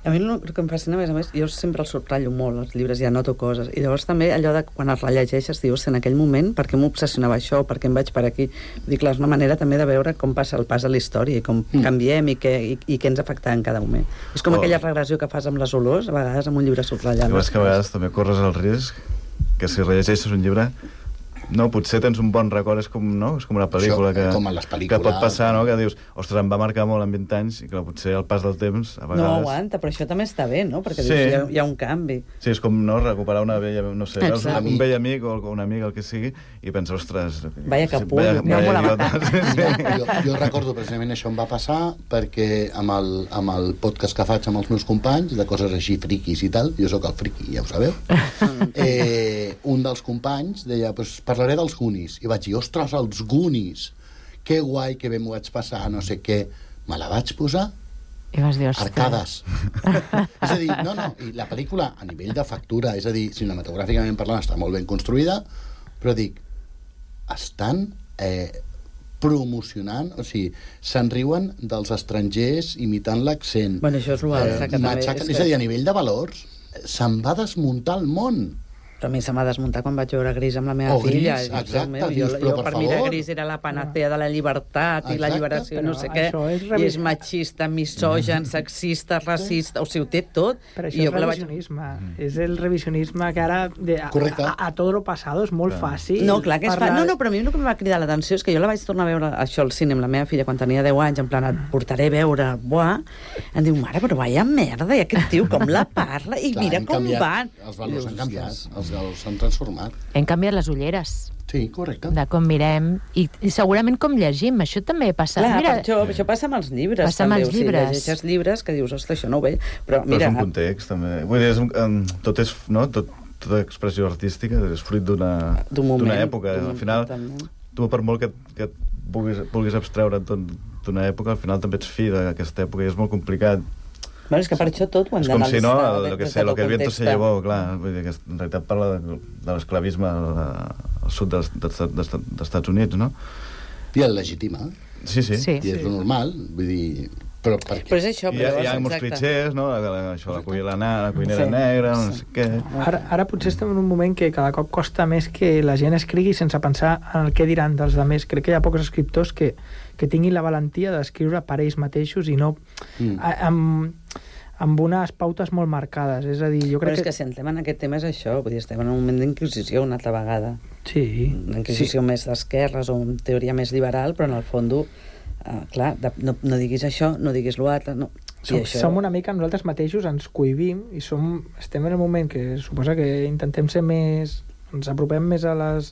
S13: A mi el que em fascina, a més, jo sempre els subratllo molt, els llibres, ja noto coses, i llavors també allò de quan els rellegeixes dius, en aquell moment, per què m'obsessionava això, per què em vaig per aquí? Dic, és una manera també de veure com passa el pas de la història, i com canviem, i què ens afecta en cada moment. És com aquella regressió que fas amb les olors, a vegades amb un llibre subratllat.
S12: Jo que a vegades també corres el risc que si rellegeixes un llibre potser tens un bon record, és com una pel·lícula que pot passar, que dius, ostres, em va marcar molt en 20 anys i que potser al pas del temps a vegades...
S13: No aguanta, però això també està bé, no? Perquè dius, hi ha un canvi.
S12: Sí, és com recuperar una vella, no sé, un vell amic o un amic, el que sigui, i penses, ostres...
S13: Vaya capullo.
S11: Jo recordo precisament això em va passar perquè amb el podcast que faig amb els meus companys, de coses així friquis i tal, jo sóc el friqui, ja ho sabeu, un dels companys deia, parlaré dels Goonies, i vaig dir, ostres, els Goonies, que guai, que bé m'ho vaig passar, no sé què, me la vaig posar
S10: i vas dir,
S11: arcades. És a dir, i la pel·lícula a nivell de factura, és a dir, cinematogràficament parlant està molt ben construïda, però dic, estan promocionant, o sigui, se'n riuen dels estrangers imitant l'accent.
S13: Bueno, això és l'altre que també...
S11: És a dir, a nivell de valors, se'n va desmuntar el món.
S13: Però a mi se m'ha desmuntat quan vaig veure Gris amb la meva filla.
S11: Exacte,
S13: jo per mi Gris era la panacea de la llibertat i la lliberació, no sé què, i és machista, misogen, sexista, racista, o sigui, ho té tot.
S14: Però això és revisionisme. És el revisionisme que ara a tot lo passado és molt fàcil.
S13: No, clar que és fàcil. No, però a mi el que em va cridar l'atenció és que jo la vaig tornar a veure això al cine amb la meva filla quan tenia 10 anys, en plan, et portaré a veure, em diu, mare, però vaya merda, i aquest tio com la parla, i mira com van.
S11: Els valors han canviat, s'han transformat.
S10: Hem canviat les ulleres.
S11: Sí, correcte.
S10: De com mirem i segurament com llegim. Això també passa.
S13: Clar, mira, això passa amb els llibres.
S10: Passa amb els llibres.
S13: Llegeixes llibres que dius, ostres, això no ho veig. Però mira...
S12: és un context, també. Vull dir, tot és... Tota expressió artística és fruit d'una època. Al final, tu per molt que vulguis abstreure d'una època, al final també ets fi d'aquesta època i és molt complicat.
S13: Bueno, és que per això tot ho hem
S12: d'analitzar. És com si no, lo que el viento se llevó, clar. Vull dir que en realitat parla de l'esclavisme al sud dels Estats Units, no?
S11: I el legitima.
S12: Sí.
S11: I és lo normal, vull dir... Però
S13: és això,
S12: hi ha molts clitxers, no? Això, la cuinera negra, no sé què...
S14: Ara potser estem en un moment que cada cop costa més que la gent escrigui sense pensar en el què diran dels altres. Crec que hi ha pocs escriptors que tinguin la valentia d'escriure per ells mateixos i no amb unes pautes molt marcades. És a dir, jo crec
S13: però és que si entrem en aquest tema és això, vull dir, estem en un moment d'inquisició una altra vegada.
S14: Sí.
S13: Una inquisició més d'esquerres o en teoria més liberal, però en el fons clar, no diguis això, no diguis l'altre, no.
S14: Som una mica nosaltres mateixos, ens cohibim i estem en un moment que suposa que intentem ser més, ens apropem més a les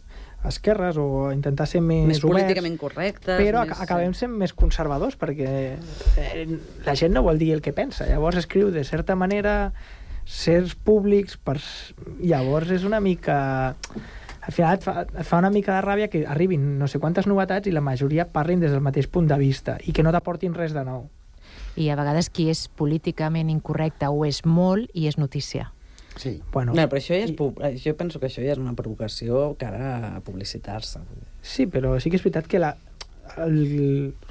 S14: esquerres o intentar ser més oberts,
S13: políticament correctes,
S14: però acabem sent més conservadors perquè la gent no vol dir el que pensa, llavors escriu de certa manera certs públics llavors és una mica al final et fa una mica de ràbia que arribin no sé quantes novetats i la majoria parlin des del mateix punt de vista i que no t'aportin res de nou.
S10: I a vegades qui és políticament incorrecte ho és molt i és notícia.
S11: Sí.
S14: Bueno,
S13: no, però això ja jo penso que això ja és una provocació cara a publicitar-se.
S14: Sí, però sí que és veritat que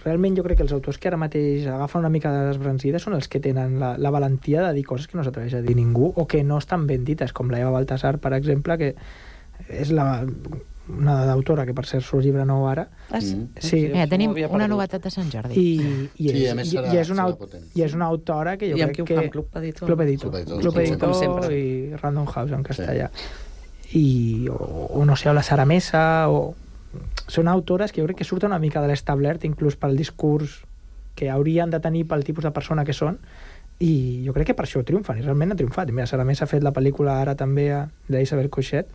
S14: realment jo crec que els autors que ara mateix agafen una mica de desbrancida són els que tenen la valentia de dir coses que no s'atreveix a dir ningú o que no estan ben dites, com la Eva Baltasar, per exemple, que és una autora que per cert surt llibre nou ara.
S10: Sí. Mira, tenim una novetat de Sant Jordi.
S14: I és una autora que jo crec que... Club Editor i Random House en castellà. O no sé, o la Sara Mesa, són autores que jo crec que surten una mica de l'establert, inclús pel discurs que haurien de tenir pel tipus de persona que són, i jo crec que per això triomfen, i realment han triomfat. I mira, Sara Mesa ha fet la pel·lícula ara també d'Isabel Coixet,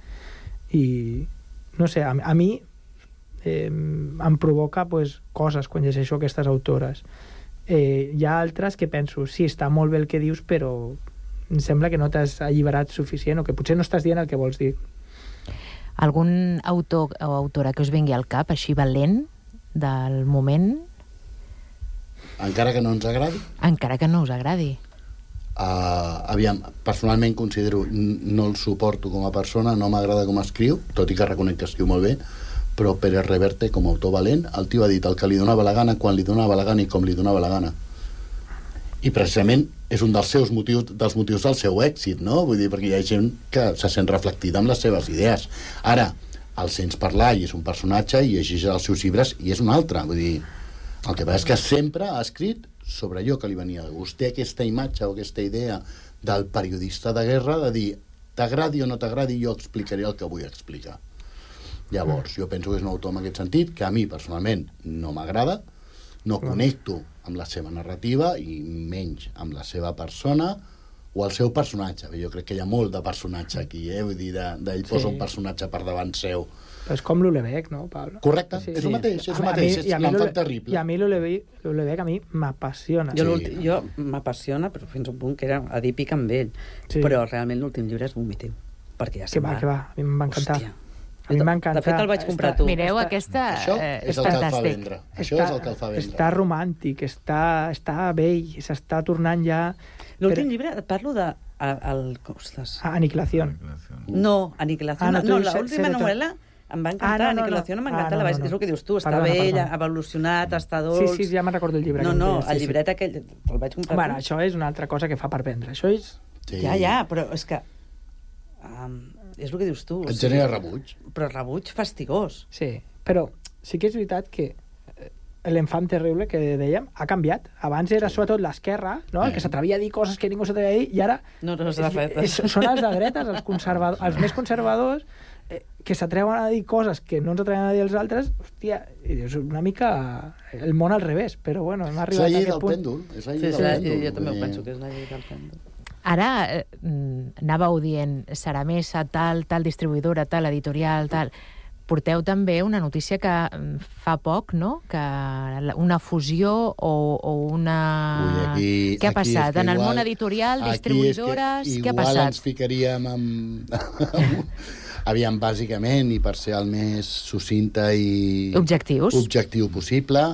S14: i no sé, a mi em provoca coses quan llegeixo aquestes autores. Hi ha altres que penso, sí, està molt bé el que dius, però em sembla que no t'has alliberat suficient o que potser no estàs dient el que vols dir.
S10: Algun autor o autora que us vingui al cap, així valent, del moment?
S11: Encara que no ens agradi?
S10: Encara que no us agradi.
S11: aviam, personalment considero, no el suporto com a persona, no m'agrada com escriu, tot i que reconec que escriu molt bé, però Pérez Reverte, com a autor valent, el tio ha dit el que li donava la gana, quan li donava la gana i com li donava la gana. I precisament és un dels motius del seu èxit, no? Vull dir, perquè hi ha gent que se sent reflectida amb les seves idees. Ara, el sents parlar i és un personatge i llegeix els seus llibres i és un altre. Vull dir, el que passa és que sempre ha escrit sobre allò que li venia de gust. Té aquesta imatge o aquesta idea del periodista de guerra de dir, t'agradi o no t'agradi, jo explicaré el que vull explicar. Llavors, jo penso que és un autor en aquest sentit que a mi personalment no m'agrada, no connecto amb la seva narrativa i menys amb la seva persona o el seu personatge. Jo crec que hi ha molt de personatge aquí, vull dir, d'ell posa un personatge per davant seu.
S14: Però és com l'Ulebeck, no, Pablo?
S11: Correcte, és el mateix, l'enfant terrible.
S14: I a mi l'Ulebeck a mi m'apassiona.
S13: Jo m'apassiona, però fins a un punt que era adípic amb ell. Però realment l'últim llibre és vomitiu. Perquè ja se'n va.
S14: Que va, a mi m'ha encantat. A mi m'ha encantat.
S13: De fet, el vaig comprar tu.
S10: Mireu, aquesta
S11: Això és el que el fa vendre. Això és el que el fa vendre.
S14: Està romàntic, està vell, s'està tornant ja...
S13: L'últim llibre, et parlo de...
S14: Aniquilación.
S13: No, Aniquilación. No, l'última novel·la em va encantar. Aniquilación em va encantar. És el que dius tu, està vell, ha evolucionat, està dolç...
S14: Sí, ja me'n recordo el llibre.
S13: No, el llibret aquell, el vaig comprar.
S14: Bueno, això és una altra cosa que fa per vendre. Això és...
S13: Ja, però és que... És el que dius tu.
S11: Et genera rebuig.
S13: Però rebuig fastigós.
S14: Sí, però sí que és veritat que l'enfant terrible que dèiem ha canviat. Abans era sobretot l'esquerra, no? El que s'atrevia a dir coses que ningú s'atrevia a dir, i ara són els de dretes, els més conservadors, que s'atreuen a dir coses que no ens atreven a dir els altres. Hòstia, és una mica el món al revés, però bueno, hem arribat a aquest punt.
S11: És la llei del pèndol.
S13: Jo també ho penso, que és la llei del pèndol.
S10: Ara anàveu dient Saramesa, tal distribuïdora, tal editorial, tal... Porteu també una notícia que fa poc, no? Que una fusió o una... Què ha passat? En el món editorial, distribuïdores... Què ha passat?
S11: Igual ens ficaríem amb... Aviam, bàsicament, i per ser el més sucinta i... objectiu possible,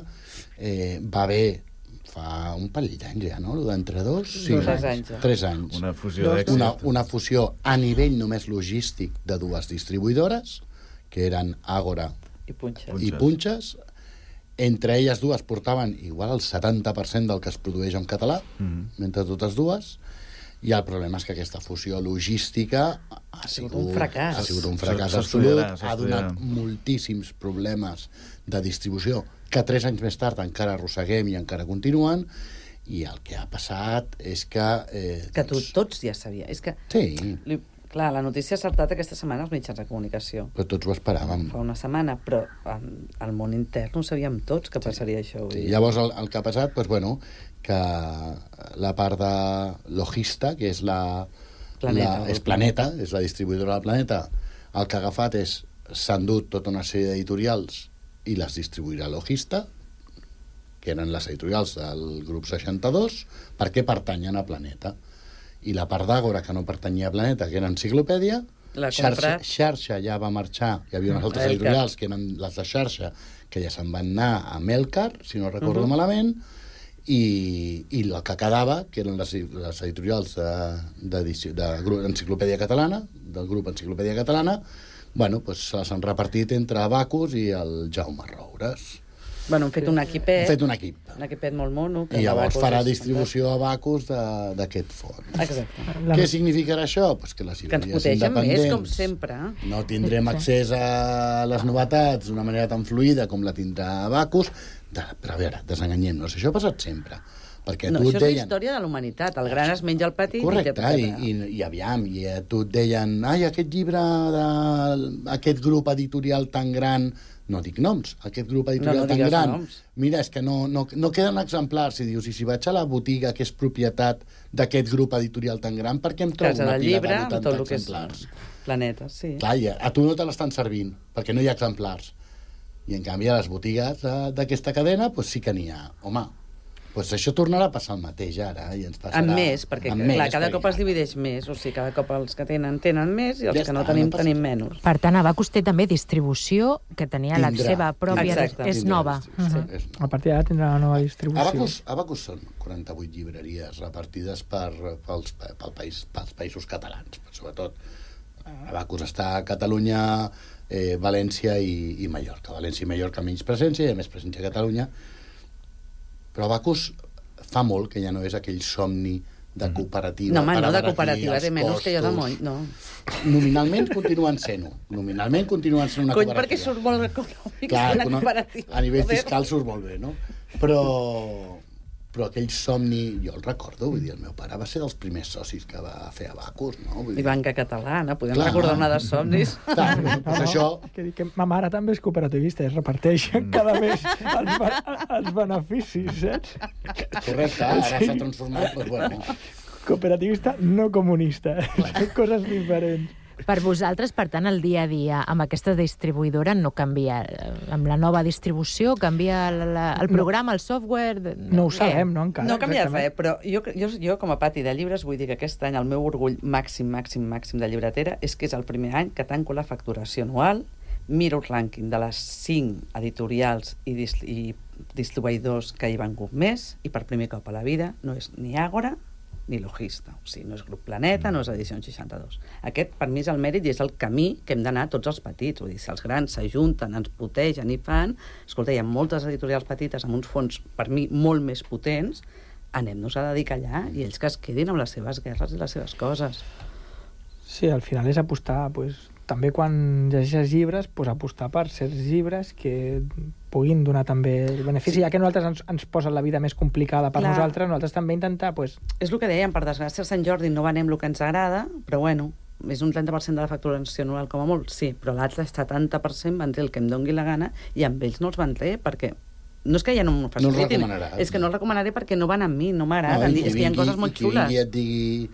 S11: va haver... fa un parell d'anys ja, no? D'entre dos? Sí, 3 anys.
S12: Una fusió d'èxit.
S11: Una fusió a nivell només logístic de 2 distribuïdores, que eren Àgora i Punxes. Entre elles 2 portaven igual el 70% del que es produeix en català, entre totes 2, i el problema és que aquesta fusió logística ha sigut un fracàs. Ha sigut un fracàs absolut, ha donat moltíssims problemes de distribució que 3 anys més tard encara arrosseguem i encara continuen, i el que ha passat és que...
S13: Que tots ja sabia. És que...
S11: Sí.
S13: Clar, la notícia ha saltat aquesta setmana als mitjans de comunicació.
S11: Però tots ho esperàvem.
S13: Fa una setmana, però al món intern ho sabíem tots que passaria això.
S11: Llavors el que ha passat, doncs, bueno, que la part de Logista, que és és Planeta, és la distribuïdora del Planeta, el que ha agafat és, s'ha endut tota una sèrie d'editorials i les distribuirà Logista, que eren les editorials del grup 62, perquè pertanyen a Planeta. I la part d'Àgora, que no pertanyia a Planeta, que era Enciclopèdia, Xarxa ja va marxar, hi havia unes altres editorials que eren les de Xarxa, que ja se'n van anar a Melcar, si no recordo malament, i el que quedava, que eren les editorials d'Enciclopèdia Catalana, del grup Enciclopèdia Catalana, bueno, pues se les han repartit entre Abacus i el Jaume Roures.
S13: Bueno, han fet un equipet.
S11: Han fet un equip.
S13: Un equipet molt mono.
S11: I llavors farà distribució a Abacus d'aquest fons.
S13: Exacte.
S11: Què significarà això? Pues que les llibreries independents...
S13: més, com sempre.
S11: No tindrem accés a les novetats d'una manera tan fluida com la tindrà Abacus. Però a veure, desenganyem-nos. Això ha passat sempre. Perquè
S13: no, això és la història de la humanitat. El gran es menja el petit.
S11: Correcte, i aviam, i a tu et deien, ai, aquest llibre d'aquest grup editorial tan gran... No dic noms, aquest grup editorial tan gran. Mira, és que no queden exemplars. Si dius, i si vaig a la botiga que és propietat d'aquest grup editorial tan gran, per què em trobo una pila de 80 exemplars?
S13: Planeta, sí.
S11: Clar, a tu no te l'estan servint, perquè no hi ha exemplars. I en canvi a les botigues d'aquesta cadena, doncs sí que n'hi ha. Home, Doncs això tornarà a passar el mateix ara. I ens passarà...
S13: Amb més, perquè clar, cada cop es divideix més. O sigui, cada cop els que tenen més i els que no tenim menys.
S10: Per tant, Abacus té també distribució, que tenia la seva pròpia... És nova.
S14: A partir d'ara tindrà una nova distribució.
S11: Abacus són 48 llibreries repartides pels països catalans, sobretot. Abacus està a Catalunya, València i Mallorca. València i Mallorca menys presència, i a més presència a Catalunya. Però Abacus fa molt que ja no és aquell somni de cooperativa.
S13: No, home, no, de cooperativa, de menys que jo de moll, no.
S11: Nominalment continuen sent-ho. Nominalment continuen sent una cooperativa.
S13: Perquè surt molt econòmic
S11: una cooperativa. A nivell fiscal surt molt bé, no? Però aquell somni, jo el recordo, vull dir, el meu pare va ser dels primers socis que va fer Abacus, no?
S13: I Banca Catalana, podem recordar una de somnis.
S11: Doncs això...
S14: Que ma mare també és cooperativista, es reparteixen cada mes els beneficis, saps?
S11: Correcte, ara s'ha transformat, doncs bueno.
S14: Cooperativista no comunista, són coses diferents.
S10: Per vosaltres, per tant, el dia a dia amb aquesta distribuïdora no canvia. Amb la nova distribució canvia el programa, el software...
S14: No ho sabem, no, encara.
S13: No canvia res, però jo com a pati de llibres vull dir que aquest any el meu orgull màxim de llibretera és que és el primer any que tanco la facturació anual, miro el rànquing de les 5 editorials i distribuïdors que hi van hagut més, i per primer cop a la vida no és ni Àgora ni Logista. O sigui, no és Grup Planeta, no és Edició 62. Aquest, per mi, és el mèrit i és el camí que hem d'anar tots els petits. Vull dir, si els grans s'ajunten, ens protegen i fan... Escolta, hi ha moltes editorials petites amb uns fons, per mi, molt més potents. Anem-nos a dedicar allà i ells que es quedin amb les seves guerres i les seves coses.
S14: Sí, al final és apostar, també quan llegeixes llibres, apostar per certs llibres que puguin donar també el benefici, ja que nosaltres ens posen la vida més complicada per nosaltres també intentar...
S13: És el que dèiem, per desgràcia, a Sant Jordi no venem el que ens agrada, però bueno, és un 30% de la facturació anual com a molt, sí, però l'altre 70% van dir el que em doni la gana i amb ells no els van dir perquè... No és que ja no m'ho facilitin, és que no el recomanaré perquè no van amb mi, no m'agraden, és que hi ha coses molt xules.
S11: I qui et digui,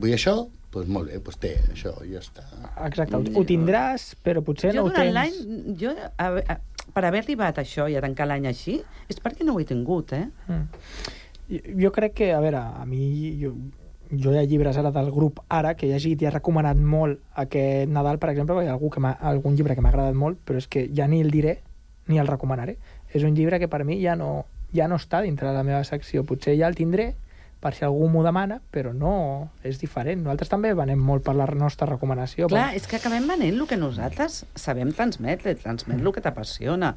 S11: vull això, doncs molt bé, doncs té això, i ja està.
S14: Exacte, ho tindràs, però potser no ho tens.
S13: Jo durant l'any, per haver arribat a això i a tancar l'any així, és perquè no ho he tingut,
S14: Jo crec que, a veure, a mi... Jo hi ha llibres ara del grup Ara que he llegit i he recomanat molt aquest Nadal, per exemple, perquè hi ha algun llibre que m'ha agradat molt, però és que ja ni el diré ni el recomanaré. És un llibre que per mi ja no està dintre de la meva secció. Potser ja el tindré per si algú m'ho demana, però no, és diferent. Nosaltres també venem molt per la nostra recomanació.
S13: Clar, és que acabem venent el que nosaltres sabem transmetre el que t'apassiona.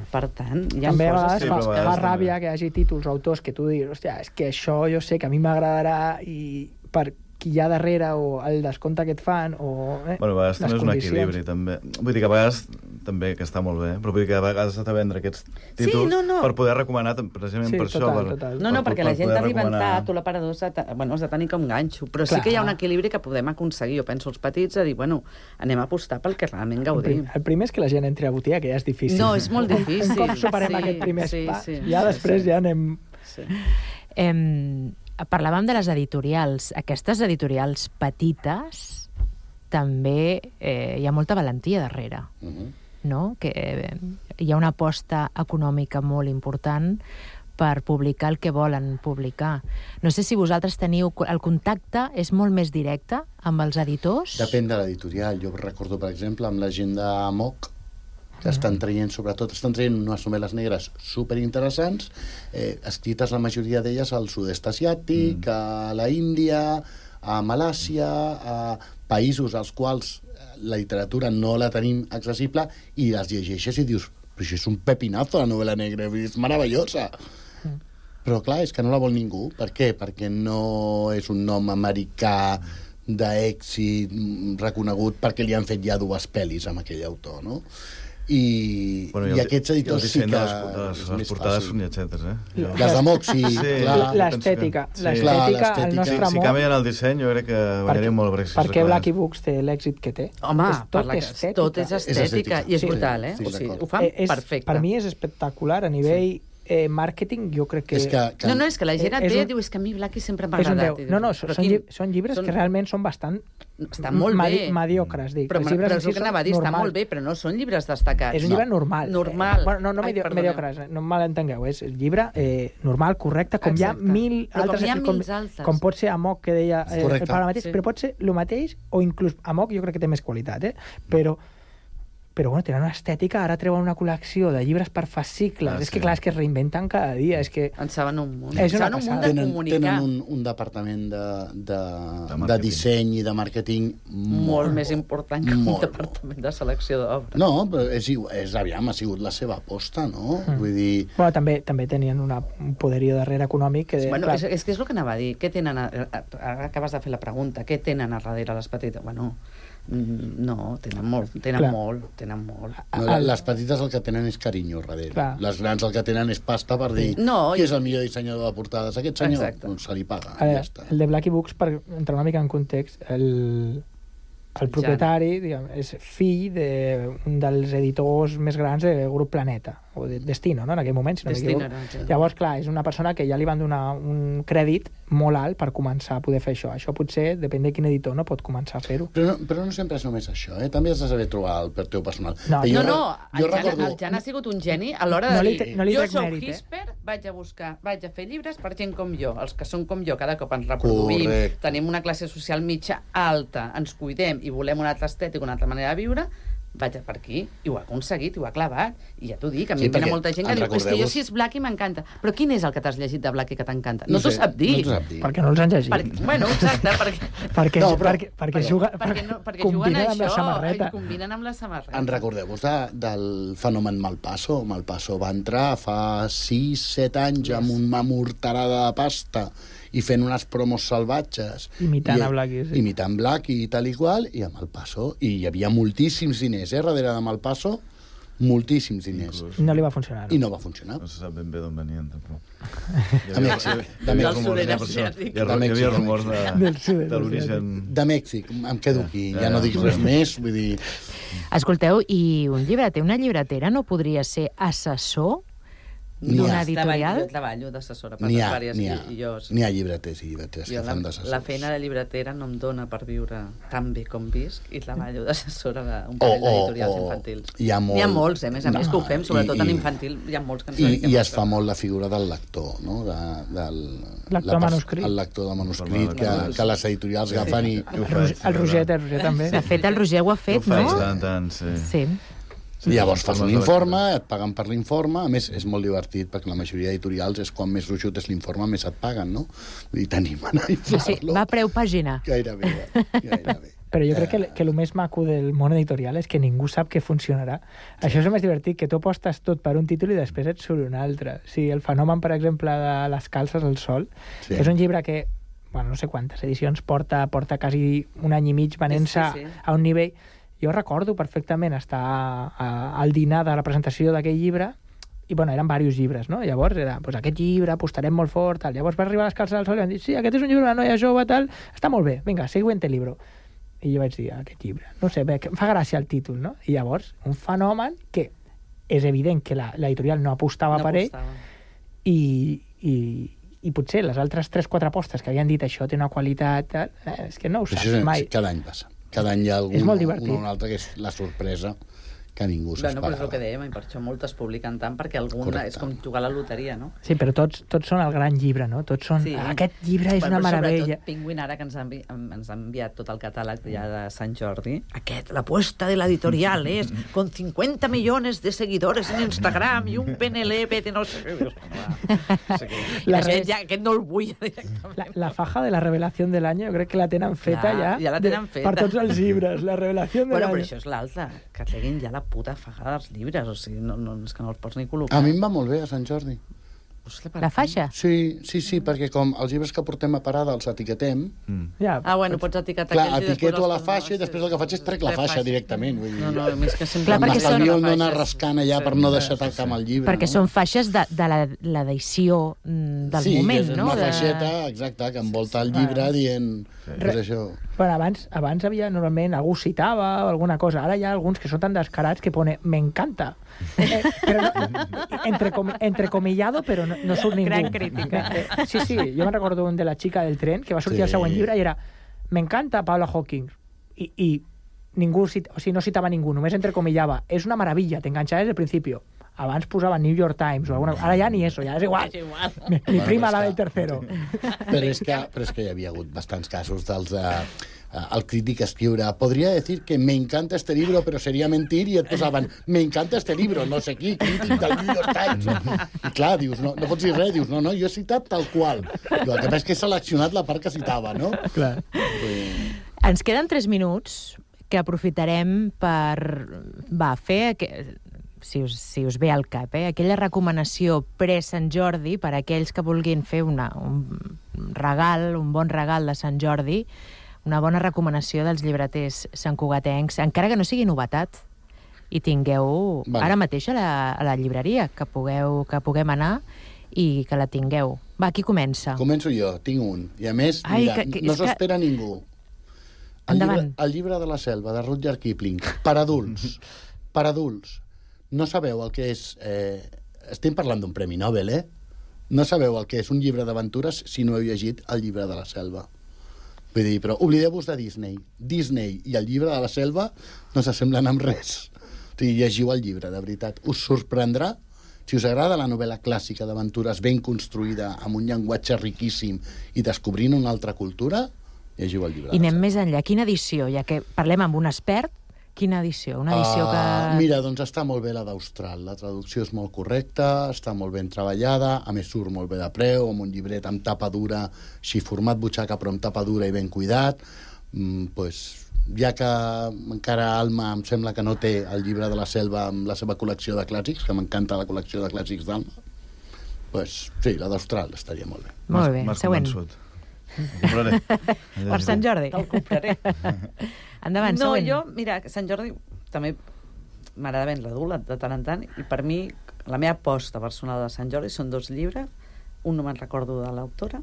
S13: Per tant, hi ha
S14: també
S13: coses...
S14: També a vegades fa ràbia que hi hagi títols o autors que tu diguis, hòstia, és que això jo sé que a mi m'agradarà i per qui hi ha darrere o el descompte que et fan o
S12: bueno, a vegades també és un equilibri també. Vull dir que a vegades també, que està molt bé, però vull dir que a vegades has de vendre aquests títols per poder recomanar precisament per això.
S13: No, perquè la gent arriba en tat o l'aparador has de tenir com ganxo, però sí que hi ha un equilibri que podem aconseguir. Jo penso els petits a dir, bueno, anem a apostar pel que realment gaudim.
S14: El primer és que la gent entri a botiga, que ja és difícil.
S13: No, és molt difícil.
S14: Un cop superem aquest primer pas, ja després ja anem...
S10: Parlàvem de les editorials. Aquestes editorials petites també hi ha molta valentia darrere, no? Que hi ha una aposta econòmica molt important per publicar el que volen publicar. No sé si vosaltres teniu... El contacte és molt més directe amb els editors?
S11: Depèn de l'editorial. Jo recordo, per exemple, amb la gent d'Amok, que estan traient unes novel·les negres superinteressants, escrites la majoria d'elles al sud-est asiàtic, a la Índia, a Malàsia, a països als quals la literatura no la tenim accessible, i les llegeixes i dius, però això és un pepinazo, la novel·la negra, és meravellosa. Però clar, és que no la vol ningú. Per què? Perquè no és un nom americà d'èxit reconegut perquè li han fet ja 2 pel·lis amb aquell autor, no? I aquests editors sí que
S12: les portades són lletgetes,
S11: Les d'Amok, sí.
S14: L'estètica, el nostre amor.
S12: Si canvien el disseny, jo crec que guanyaríem molt Brexit.
S14: Per què Blacky Books té l'èxit que té?
S13: Home, tot és estètica, i és brutal, o sigui, ho fan perfecte.
S14: Per mi és espectacular a nivell màrqueting, jo crec que...
S13: No, és que la gent et ve i diu, és que a mi Blackie sempre m'ha agradat.
S14: No, són llibres que realment són bastant mediocres, dic.
S13: Però és el que anava a dir, està molt bé, però no són llibres destacats.
S14: És un llibre normal. No mediocres, no em malentengueu, és un llibre normal, correcte, com hi ha mil altres. Com pot ser Amok, que deia el Pare mateix, però pot ser el mateix, o inclús Amok jo crec que té més qualitat, però bueno, tenen una estètica, ara treuen una col·lecció de llibres per fascicles, és que clar, és que es reinventen cada dia, és que...
S13: En saben un munt. És una passada.
S11: Tenen un departament de disseny i de màrqueting
S13: molt més important que un departament de selecció d'obres.
S11: No, però ha sigut la seva aposta, no? Vull dir...
S14: Bueno, també tenien un poderío darrere econòmic.
S13: Bueno, és que és el que anava a dir. Què tenen... Ara acabes de fer la pregunta. Què tenen a darrere les petites? Bueno... No, tenen molt.
S11: Les petites el que tenen és carinyo darrere. Les grans el que tenen és pasta per dir qui és el millor dissenyador de portades. Aquest senyor se li paga.
S14: El de Blackie Books, per entrar una mica en context, el propietari és fill d'un dels editors més grans del grup Planeta, o de Destino, no? En aquell moment, si no m'equivoco. Llavors, clar, és una persona que ja li van donar un crèdit molt alt per començar a poder fer això. Això potser, depèn de quin editor, no pot començar a fer-ho.
S11: Però no sempre és només això, també has de saber trobar el per teu personal.
S13: El Jan ha sigut un geni a l'hora de dir jo soc Hisper, vaig a fer llibres per gent com jo. Els que són com jo cada cop ens reproduïm, tenim una classe social mitja alta, ens cuidem i volem una altra estètica, una altra manera de viure, vaig per aquí, i ho ha aconseguit, i ho ha clavat, i ja t'ho dic, a mi em venen molta gent que diu, és que jo si és Blackie m'encanta, però quin és el que t'has llegit de Blackie que t'encanta? No t'ho sap dir.
S14: Perquè no els han llegit.
S13: Bueno, exacte,
S14: perquè
S13: juguen amb la samarreta. Combinen amb la samarreta.
S11: En recordeu-vos del fenomen Malpasso? Malpasso va entrar fa 6-7 anys amb una morterada de pasta i fent unes promos salvatges.
S14: Imitant Blackie, sí.
S11: Imitant Blackie i tal i qual, i a Malpasso. I hi havia moltíssims diners, darrere de Malpasso, moltíssims diners.
S14: No li va funcionar.
S11: I no va funcionar.
S12: No se sap ben bé d'on venien, tampoc.
S11: Hi
S12: havia rumors de l'origen...
S11: De Mèxic, em quedo aquí, ja no dic res més, vull dir...
S10: Escolteu, i un llibreter, una llibretera no podria ser assessor d'una editorial?
S13: Jo treballo d'assessora per diverses guions.
S11: N'hi ha llibreters i llibreters que fan d'assessors.
S13: La feina de llibretera no em dona per viure tan bé com visc i treballo d'assessora d'un parell d'editorials infantils.
S11: Hi ha
S13: molts, a més que ho fem, sobretot en infantil, hi ha molts que ens
S11: dediquem. I es fa molt la figura del lector, no?
S14: Lector manuscrit.
S11: El lector de manuscrit que les editorials agafen i...
S14: El Roger també.
S10: De fet, el Roger ho ha fet, no?
S12: Sí.
S11: Llavors fas un informe, et paguen per l'informe, a més és molt divertit perquè la majoria d'editorials és quan més gruixut és l'informe més et paguen, no? Vull dir, t'animen a inflar-lo.
S10: Va a preu pàgina.
S11: Gairebé.
S14: Però jo crec que el més maco del món editorial és que ningú sap que funcionarà. Això és el més divertit, que tu apostes tot per un títol i després et surt un altre. O sigui, el fenomen, per exemple, de Les calces al sol, és un llibre que, bueno, no sé quantes edicions porta quasi un any i mig venent-se a un nivell... Jo recordo perfectament estar al dinar de la presentació d'aquell llibre i, bueno, eren diversos llibres, no? Llavors era, doncs aquest llibre apostarem molt fort, tal. Llavors va arribar a Les calces al sol i van dir, sí, aquest és un llibre d'una noia jove, tal, està molt bé, vinga, siguiente libro. I jo vaig dir, aquest llibre, no sé, bé, em fa gràcia el títol, no? I llavors, un fenomen que és evident que l'editorial no apostava per ell i potser les altres 3-4 apostes que havien dit això té una qualitat, és que no ho saps mai.
S11: Cada any passa. Cada any hi ha algun un altre que és la sorpresa que ningú s'esperava.
S13: Però és el que dèiem, i per això moltes publiquen tant, perquè alguna és com jugar a la loteria, no?
S14: Sí, però tots són el gran llibre, no? Tots són... Aquest llibre és una meravella.
S13: Sobretot Penguin, ara que ens ha enviat tot el catàleg ja de Sant Jordi, la apuesta de l'editorial és con 50 millones de seguidores en Instagram i un PNLP de no sé què. Aquest no el vull directament.
S14: La faja de la revelació de l'any, jo crec que la tenen feta ja.
S13: Ja la tenen feta.
S14: Per tots els llibres, la revelació de l'any.
S13: Però això és l'altra, que treguin ja la puta fagada dels llibres, o sigui, és que no els pots ni col·locar.
S11: A mi em va molt bé a Sant Jordi.
S10: La faixa?
S11: Sí, perquè com els llibres que portem a parada els etiquetem...
S13: Bueno, pots etiquetar
S11: aquells i després... Clar, etiqueto a la faixa i després el que faig és trec la faixa directament.
S13: No, més que sempre...
S10: Clar, perquè són...
S11: no anar rascant allà per no deixar talcar amb el llibre.
S10: Perquè són faixes de l'edició del moment, no?
S11: Sí, és una faixeta, exacte, que envolta el llibre dient... És això.
S14: Bueno, abans havia, normalment, algú citava o alguna cosa. Ara hi ha alguns que són tan descarats que pone «me encanta». Però entrecomillado, però no surt ningú.
S10: Gran crítica.
S14: Sí, jo me'n recordo un de La chica del tren, que va sortir al següent llibre i era «me encanta Paula Hawking». I ningú, no citava ningú, només entrecomillava. És una meravella, t'enganxava des del principi. Abans posava New York Times o alguna cosa. Ara ja ni eso, ja és igual. Mi prima la del tercero.
S11: Però és que hi havia hagut bastants casos dels... el crític escriure, podria decir que me encanta este libro, però seria mentir, i et posaven, me encanta este libro, no sé qui, crític del New York Times. I clar, dius, no pots dir res, dius, no, jo he citat tal qual. El que passa és que he seleccionat la part que citava, no?
S14: Clar.
S10: Ens queden 3 minuts que aprofitarem per fer, si us ve al cap, aquella recomanació pre-Sant Jordi per a aquells que vulguin fer un regal, un bon regal de Sant Jordi, una bona recomanació dels llibreters santcugatencs, encara que no sigui novetat, i tingueu ara mateix a la llibreria, que puguem anar i que la tingueu. Va, qui comença?
S11: Començo jo, tinc un. I a més, mira, no s'espera ningú.
S10: Endavant.
S11: El llibre de la selva, de Rudyard Kipling, per adults. Per adults. No sabeu el que és... Estem parlant d'un premi Nobel, No sabeu el que és un llibre d'aventures si no heu llegit el llibre de la selva. Vull dir, però oblideu-vos de Disney. Disney i el llibre de la selva no s'assemblen amb res. O sigui, llegiu el llibre, de veritat. Us sorprendrà. Si us agrada la novel·la clàssica d'aventures ben construïda, amb un llenguatge riquíssim i descobrint una altra cultura, llegiu el llibre.
S10: I anem més enllà. Quina edició? Ja que parlem amb un expert, quina edició? Una edició que...
S11: Mira, doncs està molt bé la d'Austral. La traducció és molt correcta, està molt ben treballada, a més surt molt bé de preu, amb un llibret amb tapa dura, així format butxaca, però amb tapa dura i ben cuidat. Ja que encara Alma em sembla que no té el llibre de la selva amb la seva col·lecció de clàssics, que m'encanta la col·lecció de clàssics d'Alma, sí, la d'Austral estaria molt bé.
S10: Molt bé, següent. Per Sant Jordi.
S13: Te'l compraré.
S10: Endavant, següent.
S13: Jo, mira, Sant Jordi també m'agrada ben l'adult de tant en tant, i per mi la meva aposta personal de Sant Jordi són 2 llibres, un no me'n recordo de l'autora,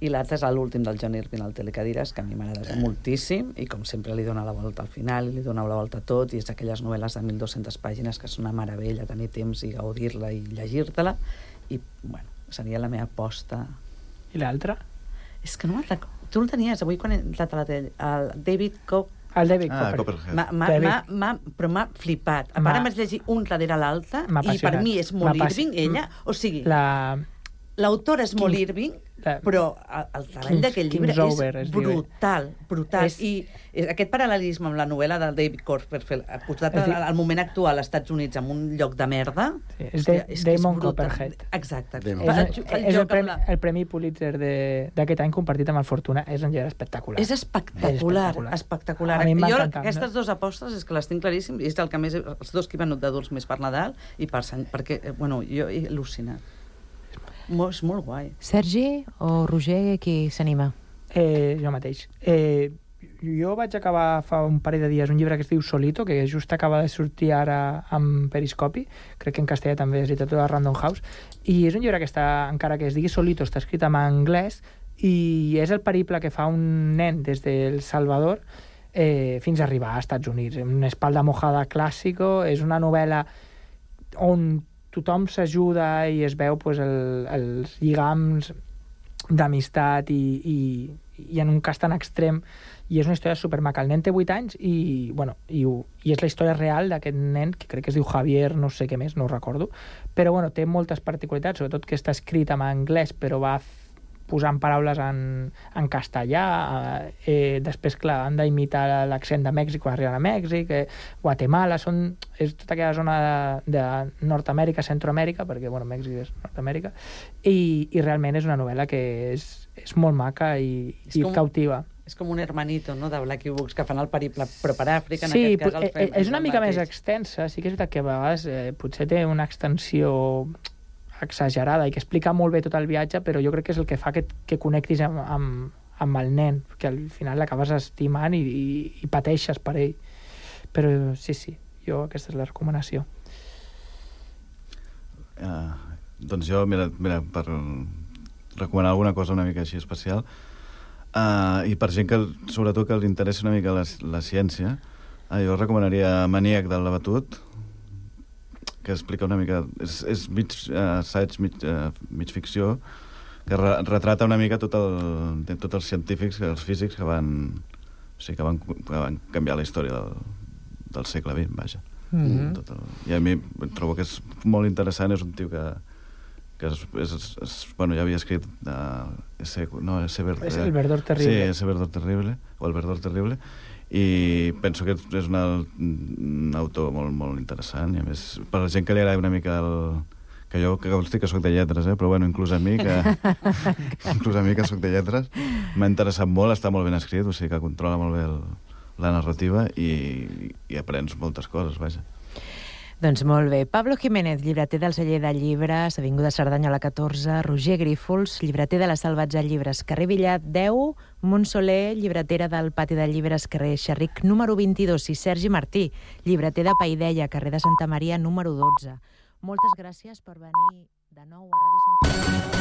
S13: i l'altre és l'últim del John Irving, el Telecadires, que a mi m'agrada moltíssim, i com sempre li dona la volta al final, i li dona la volta a tot, i és aquelles novel·les de 1.200 pàgines que són una meravella, tenir temps i gaudir-la i llegir-te-la, i, bueno, seria la meva aposta.
S14: I l'altra?
S13: És que no me'n recordo. Tu el tenies, avui quan he entrat a la tele, el David
S14: Copperhead.
S13: Però m'ha flipat. A part, vaig llegir un darrere l'altre, i per mi és molt Irving, ella. O sigui, l'autora és molt Irving, però el treball d'aquest llibre és brutal. I aquest paral·lelisme amb la novel·la del David Copperfield, posat al moment actual als Estats Units amb un lloc de merda...
S14: És Damon Copperhead.
S13: Exacte.
S14: És el Premi Pulitzer d'aquest any compartit amb el Fortuna. És un llibre espectacular.
S13: És espectacular. Jo aquestes 2 apostes és que les tinc claríssimes, i és el que més... Els 2 que he venut d'adults més per Nadal i per Sant... Perquè, bueno, jo he al·lucinat. És molt guai.
S10: Sergi o Roger, qui s'anima?
S14: Jo mateix. Jo vaig acabar fa un parell de dies un llibre que es diu Solito, que just acaba de sortir ara amb Periscopi, crec que en castellà també és literatura de Random House, i és un llibre que està, encara que es digui Solito, està escrit en anglès, i és el periple que fa un nen des del Salvador fins a arribar als Estats Units. Una espalda mojada clàssico, és una novel·la on tothom s'ajuda i es veu els lligams d'amistat i en un cas tan extrem, i és una història supermaca. El nen té 8 anys i és la història real d'aquest nen, que crec que es diu Javier, no sé què més, no ho recordo, però té moltes particularitats, sobretot que està escrit en anglès, però va posant paraules en castellà, després, clar, han d'imitar l'accent de Mèxic quan arriben a Mèxic, Guatemala, és tota aquella zona de Nord-Amèrica, Centroamèrica, perquè, Mèxic és Nord-Amèrica, i realment és una novel·la que és molt maca i cautiva.
S13: És com un hermanito, no?, de Blackie Books, que fan el periple, però per Àfrica, en
S14: aquest
S13: cas el fem.
S14: És una mica més extensa, sí que és veritat que a vegades potser té una extensió exagerada i que explica molt bé tot el viatge, però jo crec que és el que fa que connectis amb el nen, que al final l'acabes estimant i pateixes per ell. Però sí, jo aquesta és la recomanació.
S12: Doncs jo, mira, per recomanar alguna cosa una mica així especial, i per gent que, sobretot, que els interessa una mica la ciència, jo recomanaria Maníac del Labatut, que explica una mica... És mig assaig, mig ficció, que retrata una mica tots els científics, els físics que van canviar la història del segle XX, vaja. I a mi trobo que és molt interessant, és un tio que ja havia escrit
S14: és El Verdor Terrible.
S12: Sí, ese Verdor Terrible, o El Verdor Terrible, i penso que és un autor molt, molt interessant, i a més, per la gent que li agrada una mica que jo consti que soc de lletres, però bueno, inclús a mi que soc de lletres, m'ha interessat molt, està molt ben escrit, o sigui que controla molt bé la narrativa i aprens moltes coses, vaja.
S10: Doncs molt bé. Pablo Jiménez, llibreter del celler de llibres, Avinguda Cerdanyola 14, Roger Grífols, llibreter de la Salvatge Llibres, carrer Villat 10, Montsoler, llibretera del Pati de Llibres, carrer Xerric número 22, i Sergi Martí, llibreter de Paideia, carrer de Santa Maria número 12. Moltes gràcies per venir de nou a Ràdio Sant Cugat.